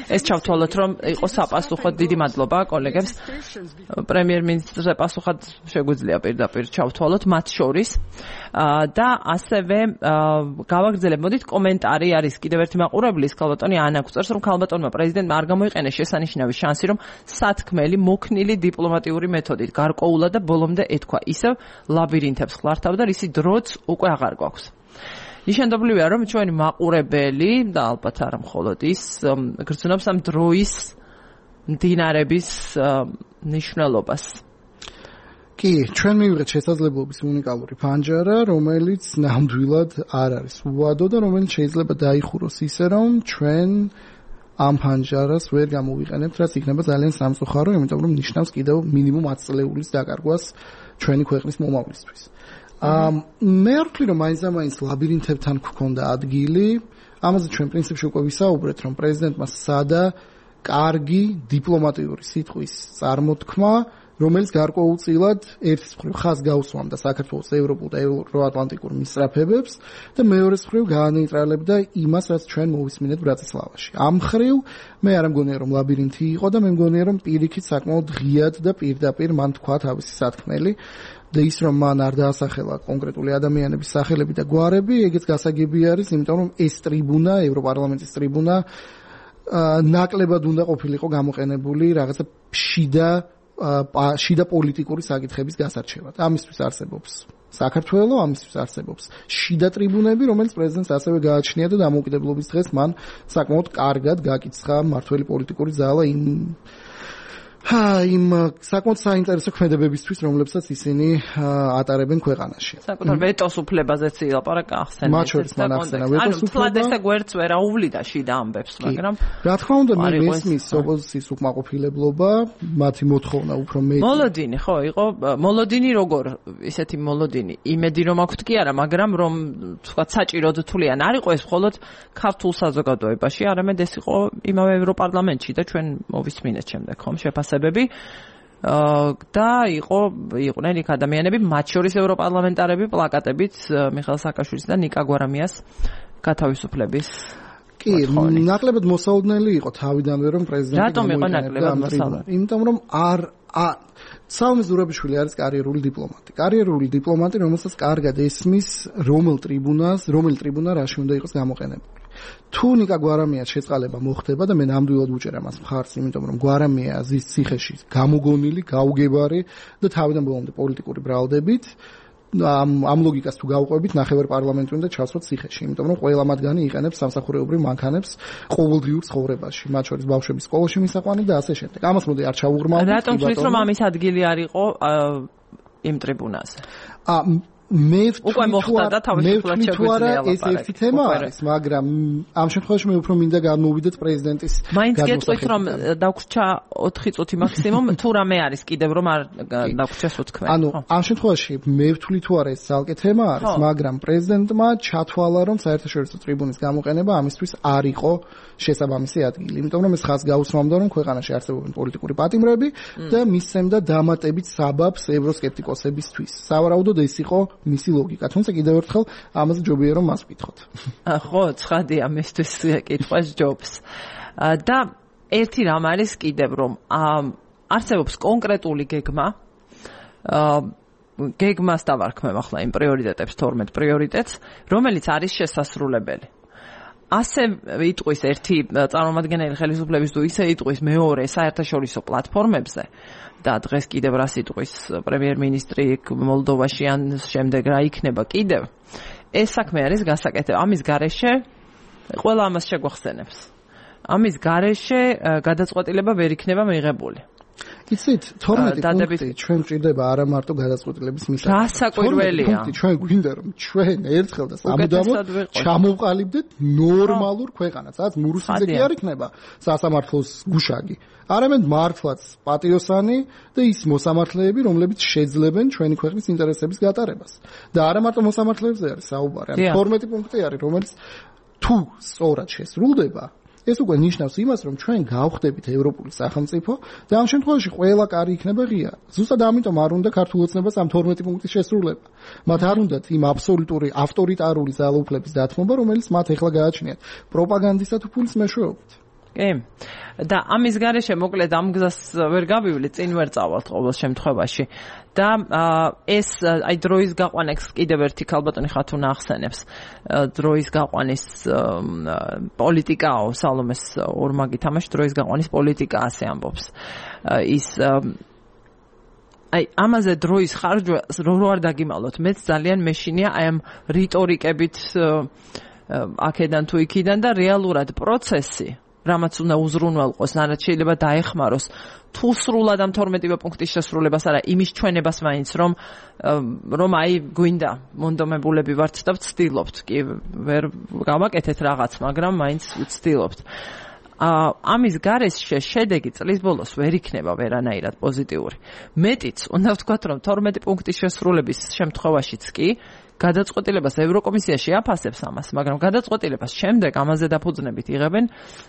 ეს ჩავთვალოთ, რომ იყო საპასუხოდ. დიდი მადლობა კოლეგებს. პრემიერ-მინისტრზე პასუხად შეგვიძლია პირდაპირ ჩავთვალოთ მათ შორის. და ასევე გავაგრძელებ, მოდით კომენტარი არის კიდევ ერთი მაყურებლის, ქალბატონი ანა გვწერს, რომ ქალბატონმა პრეზიდენტმა არ გამოიყენეს შესანიშნავი შანსი, რომ სათქმელი მოქნილი დიპლომატიური მეთოდით გარკვეულა და ბოლომდე ეთქვა ისევ ლაბირინთებს ხლართავდა, რისი დროც უკვე აღარ გვაქვს. ნიშანდობლივია, რომ ჩვენი მაყურებელი და ალბათ არა მხოლოდ ის გრძნობს ამ დროის მდინარების მნიშვნელობას. კი, ჩვენ მივიღეთ შესაძლებლობის უნიკალური ფანჯარა, რომელიც ნამდვილად არ არის უვადო და რომელიც შეიძლება დაიხუროს ისე, რომ ჩვენ ამ ფანჯარას ვერ გამოვიყენებთ, რაც იქნება ძალიან სამწუხარო, იმიტომ რომ ნიშნავს კიდევ მინიმუმ ათი წლეულის დაკარგვას ჩვენი ქვეყნის მომავლისთვის. მე არ ვთვლი, რომ მაინც და მაინც ლაბირინთებთან გვქონდა ადგილი. ამაზე ჩვენ პრინციპში უკვე ვისაუბრეთ, რომ პრეზიდენტმა სცადა კარგი დიპლომატიური სიტყვის წარმოთქმა, რომელიც გარკვეულწილად ერთის მხრივ ხაზს გაუსვამდა საქართველოს ევროპულ და ევროატლანტიკურ მისწრაფებებს და მეორეს მხრივ გაანეიტრალებდა იმას, რაც ჩვენ მოვისმინეთ ბრატისლავაში. ამ მხრივ მე არ მგონია, რომ ლაბირინთი იყო და მე მგონია, რომ პირიქით საკმაოდ ღიად და პირდაპირ მან თქვა თავისი სათქმელი და ის, რომ მან არ დაასახელა კონკრეტული ადამიანების სახელები და გვარები, ეგეც გასაგები არის, იმიტომ რომ ეს ტრიბუნა, ევროპარლამენტის ტრიბუნა, ნაკლებად უნდა ყოფილიყო გამოყენებული რაღაცა შიდა შიდა პოლიტიკური საკითხების გასარჩევად. ამისთვის არსებობს საქართველო, ამისთვის არსებობს შიდა ტრიბუნები, რომელიც პრეზიდენტს ასევე გააჩნია და დამოუკიდებლობის დღეს მან საკმაოდ კარგად გაკიცხა მმართველი პოლიტიკური ძალა იმ ჰა იმ საკმაოდ საინტერესო ქმედებებისთვის, რომლებსაც ისინი ატარებენ ქვეყანაში. საკუთარ ვეტოს უფლებაზეც ილაპარაკა ახსენეთ. მათ შორის მან ახსენა ვეტოს უფლება. ანუ თლად ესე გვერდს ვერ აუვლიდა შიდა ამბებს, მაგრამ რა თქმა უნდა, მე მესმის ოპოზიციის უკმაყოფილებლობა, მათი მოთხოვნა უფრო მეტი. მოლოდინი, ხო, იყო მოლოდინი როგორ, ისეთი მოლოდინი. იმედი რომ აქვთ კი არა, მაგრამ რომ თქვა საჭიროდ თვლიან არ იყო ეს მხოლოდ ქართულ საზოგადოებაში, არამედ ეს იყო იმავე ევროპარლამენტში და ჩვენ მოვისმინეთ შემდეგ ხომ შეფასებები და იყო იყვნენ იქ ადამიანები, მათ შორის ევროპარლამენტარები პლაკატებით მიხეილ სააკაშვილის და ნიკა გვარამიას გათავისუფლების. კი, ნაკლებად მოსაოდნელი იყო თავიდანვე რომ პრეზიდენტი რატომ იყო ნაკლებად მოსაოდნელი? იმიტომ რომ არ საუმე ზურაბიშვილი არის კარიერული დიპლომატი. კარიერული დიპლომატი, რომელსაც კარგად ესმის რომელ ტრიბუნას, რომელ ტრიბუნა რაში უნდა იყოს გამოყენებული. თუ ნიკა გვარამიას შეწყალება მოხდება და მე ნამდვილად უჭერა მას მხარს, იმიტომ რომ გვარამია ზის ციხეში გამოგონილი, გაუგებარი და თავიდან ბოლომდე პოლიტიკური ბრალდებით ამ ამ ლოგიკას თუ გავყვებით, ნახევარ პარლამენტი უნდა ჩასვათ ციხეში, იმიტომ რომ ყველა მათგანი იყენებს სამსახურეობრივ მანქანებს ყოველდღიურ ცხოვრებაში, მათ შორის ბავშვების სკოლაში მისაყვანი და ასე შემდეგ. ამას მოდი არ ჩავუღრმავდით. რატომ თვლით რომ ამის ადგილი არ იყო იმ ტრიბუნაზე? ა მე უკვე მოხდა და თავისუფლად შეგვიძლია ეს ერთი თემა არის, მაგრამ ამ შემთხვევაში მე უფრო მინდა გამოვიდეთ პრეზიდენტის მაინც გეტყვით რომ დაგვრჩა ოთხი წუთი მაქსიმუმ, თუ რამე არის კიდევ რომ არ დაგვრჩეს უთქმენ. ანუ ამ შემთხვევაში მე ვთვლი თუ არა ეს ძალკე თემა არის, მაგრამ პრეზიდენტმა ჩათვალა რომ საერთაშორისო ტრიბუნის გამოყენება ამისთვის არ იყო შესაბამისი ადგილი, იმიტომ რომ ეს ხაზს გაუსვამდა რომ ქვეყანაში არსებობენ პოლიტიკური პატიმრები და მისცემდა დამატებით საბაბს ევროსკეპტიკოსებისთვის. სავარაუდოდ ეს იყო მისი ლოგიკა, თუმცა კიდევ ერთხელ ამაზე ჯობია რომ მას ვკითხოთ. ხო, ცხადია მისთვის კითხვას ჯობს. და ერთი რამ არის კიდევ რომ არსებობს კონკრეტული გეგმა, გეგმას დავარქმევ ახლა იმ პრიორიტეტებს, თორმეტ პრიორიტეტს, რომელიც არის შესასრულებელი. ასე იტყვის ერთი წარმომადგენელი ხელისუფლების თუ ისე იტყვის მეორე საერთაშორისო პლატფორმებზე და დღეს კიდევ რას იტყვის პრემიერ-მინისტრი მოლდოვაში ან შემდეგ რა იქნება კიდევ ეს საქმე არის გასაკეთებელი. ამის გარეშე ყველა ამას შეგვახსენებს. ამის გარეშე გადაწყვეტილება ვერ იქნება მიღებული. იცით, თორმეტი პუნქტი ჩვენ ჭირდება არა მარტო გადაწყვეტილების მისაღებად. რა საკვირველია? პუნქტი ჩვენ გვინდა რომ ჩვენ ერთხელ და სამუდამოდ ჩამოვყალიბდეთ ნორმალურ ქვეყანას, რაც მურუსიძე კი არ იქნება სასამართლოს გუშაგი. არამედ მართლაც პატიოსანი და ის მოსამართლეები, რომლებიც შეძლებენ ჩვენი ქვეყნის ინტერესების გატარებას. და არა მარტო მოსამართლეებზე არის საუბარი, ან თორმეტი პუნქტი არის, რომელიც თუ სწორად შესრულდება, ეს უკვე ნიშნავს იმას, რომ ჩვენ გავხდებით ევროპული სახელმწიფო და ამ შემთხვევაში ყველა კარი იქნება ღია. ზუსტად ამიტომ არ უნდა ქართულ ოცნებას ამ თორმეტი პუნქტის შესრულება. მათ არ უნდათ იმ აბსოლუტური ავტორიტარული ძალაუფლების დათმობა, რომელიც მათ ეხლა გააჩნიათ პროპაგანდისა თუ ფულის მეშვეობით. კი. და ამის გარეშე მოკლედ ამ გზას ვერ გავივლი, წინ ვერ წავალთ ყოველ შემთხვევაში. და ეს აი დროის გაყვანას კიდევ ერთი ქალბატონი ხათუნა ახსენებს. დროის გაყვანის პოლიტიკაო, სალომეს ორმაგი თამაში დროის გაყვანის პოლიტიკა ასე ამბობს. ის აი ამაზე დროის ხარჯვა რო არ დაგიმალოთ, მეც ძალიან მეშინია აი ამ რიტორიკებით აქედან თუ იქიდან და რეალურად პროცესი რამაც უნდა უზრუნველყოს, რაც შეიძლება დაეხმაროს თუ სრულად ამ თორმეტივე პუნქტის შესრულებას არა, იმის ჩვენებას მაინც რომ რომ აი გვინდა მონდომებულები ვართ და ვცდილობთ, კი ვერ გავაკეთეთ რაღაც, მაგრამ მაინც ვცდილობთ. ამის გარეშე შედეგი წლის ბოლოს ვერ იქნება ვერანაირად პოზიტიური. მეტიც უნდა ვთქვათ, რომ თორმეტი პუნქტის შესრულების შემთხვევაშიც კი გადაწყვეტილებას ევროკომისიაში აფასებს ამას, მაგრამ გადაწყვეტილებას შემდეგ ამაზე დაფუძნებით იღებენ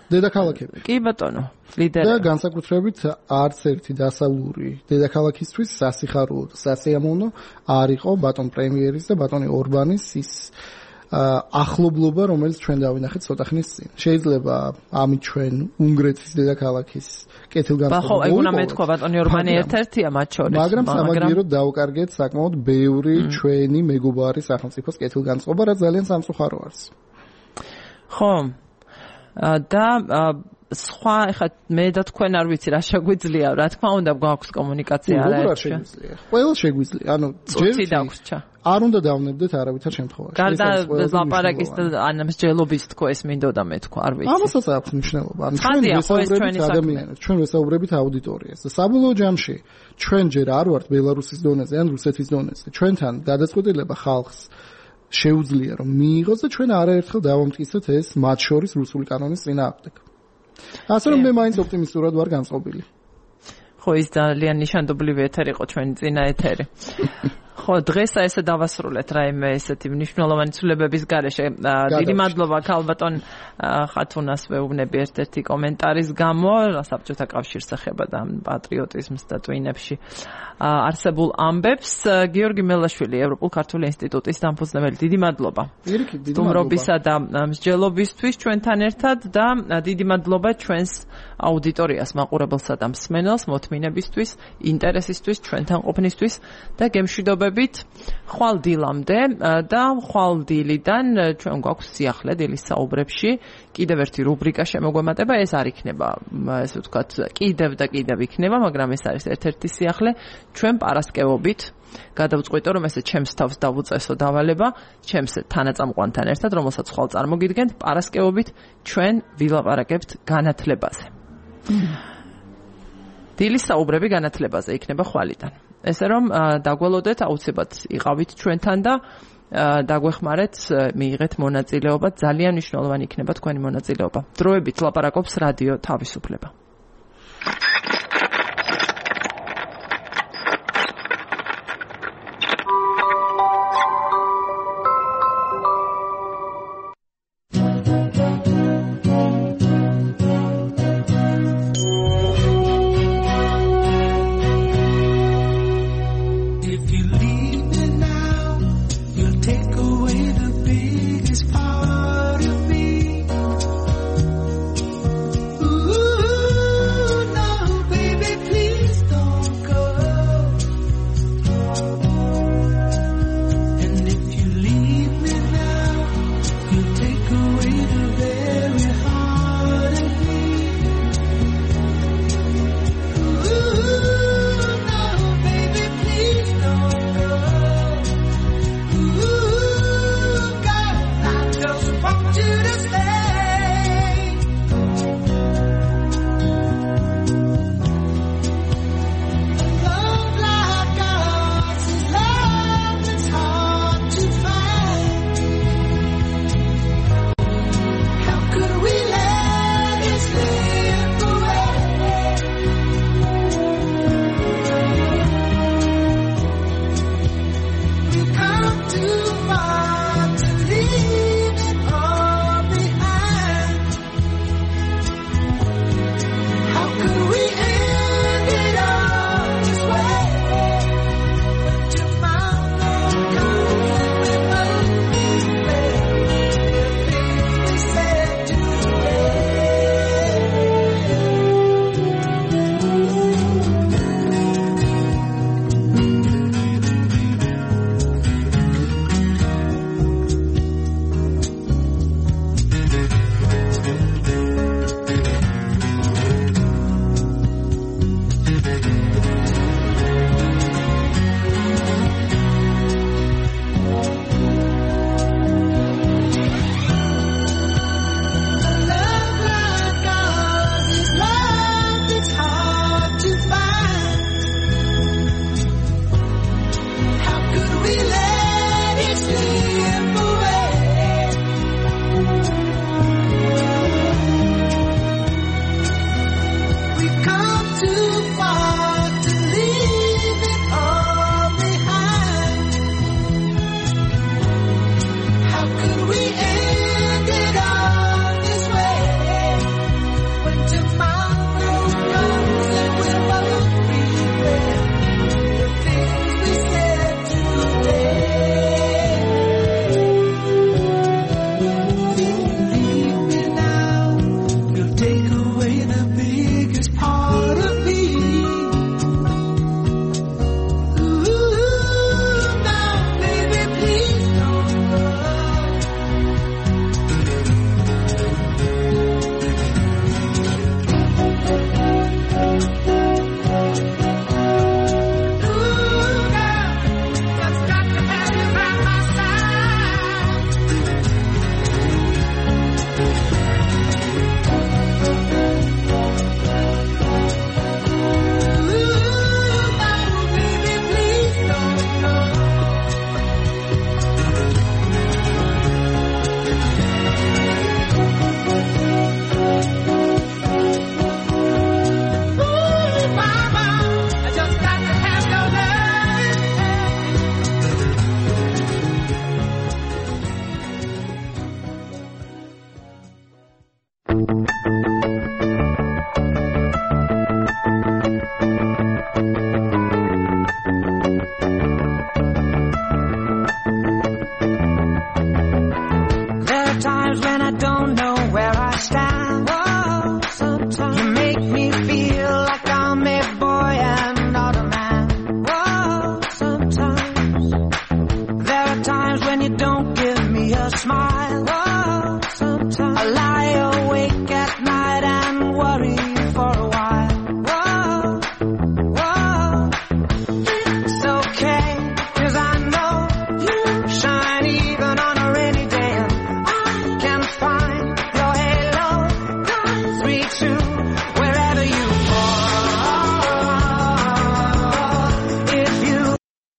დედაქალაქები. კი ბატონო, ლიდერები. და განსაკუთრებით არც ერთი დასავლური დედაქალაქისთვის სასიხარულო და სასიამოვნო არ იყო ბატონ პრემიერის და ბატონი ორბანის ის ახლობლობა, რომელიც ჩვენ დავინახეთ ცოტა ხნის წინ. შეიძლება ამით ჩვენ უნგრეთის დედაქალაქის კეთილგანწყობა. ხო, ეგ უნდა მეთქვა ბატონი ორბანი ერთ-ერთია მათ შორის. მაგრამ სამაგიეროდ დავუკარგეთ საკმაოდ ბევრი ჩვენი მეგობარი სახელმწიფოს კეთილგანწყობა, რაც ძალიან სამწუხარო არის. ხო. და სხვა ეხლა მე და თქვენ არ ვიცი რა შეგვიძლია, რა თქმა უნდა გვაქვს კომუნიკაცია არა ერთში. ყველა შეგვიძლია. ანუ ჯერ დაგვრჩა. არ უნდა დავნებდეთ არავითარ შემთხვევაში. გარდა ლაპარაკის ან მსჯელობის თქო ეს მინდოდა მე თქვა, არ ვიცი. ამასაც აქვს მნიშვნელობა. ანუ ჩვენ ვესაუბრებით ადამიანებს, ჩვენ ვესაუბრებით აუდიტორიას. და საბოლოო ჯამში ჩვენ ჯერ არ ვართ ბელარუსის დონეზე ან რუსეთის დონეზე. ჩვენთან გადაწყვეტილება ხალხს შეუძლია რომ მიიღოს და ჩვენ არაერთხელ დავამტკიცეთ ეს მათ შორის რუსული კანონის წინააღმდეგ. ასე რომ მე მაინც ოპტიმისტურად ვარ განწყობილი. ხო ის ძალიან ნიშანდობლივი ეთერი იყო ჩვენი წინა ეთერი. ხო დღეს ესე დავასრულეთ რაიმე ესეთი მნიშვნელოვანი ცვლილებების გარეშე. დიდი მადლობა ქალბატონ ხათუნას ვეუბნები ერთ-ერთი კომენტარის გამო საბჭოთა კავშირს ეხება და პატრიოტიზმს და ტვინებში არსებულ ამბებს. გიორგი მელაშვილი ევროპულ ქართული ინსტიტუტის დამფუძნებელი, დიდი მადლობა. სტუმრობისა და მსჯელობისთვის ჩვენთან ერთად და დიდი მადლობა ჩვენს აუდიტორიას, მაყურებელსა და მსმენელს მოთმინებისთვის, ინტერესისთვის, ჩვენთან ყოფნისთვის და გემშვიდობებით ხვალ დილამდე და ხვალ დილიდან ჩვენ გვაქვს სიახლე დილის საუბრებში კიდევ ერთი რუბრიკა შემოგვემატება. ეს არ იქნება ესე ვთქვათ კიდევ და კიდევ იქნება, მაგრამ ეს არის ერთ-ერთი სიახლე. ჩვენ პარასკევობით გადავწყვიტო რომ ესე ჩემს თავს დავუწესო დავალება ჩემს თანაწამყვანთან ერთად, რომელსაც ხვალ წარმოგიდგენთ, პარასკევობით ჩვენ ვილაპარაკებთ განათლებაზე. დილის საუბრები განათლებაზე იქნება ხვალიდან. ესე რომ დაგველოდეთ, აუცილებლად იყავით ჩვენთან და დაგვეხმარეთ, მიიღეთ მონაწილეობა, ძალიან მნიშვნელოვანი იქნება თქვენი მონაწილეობა. დროებით ლაპარაკობს რადიო თავისუფლება.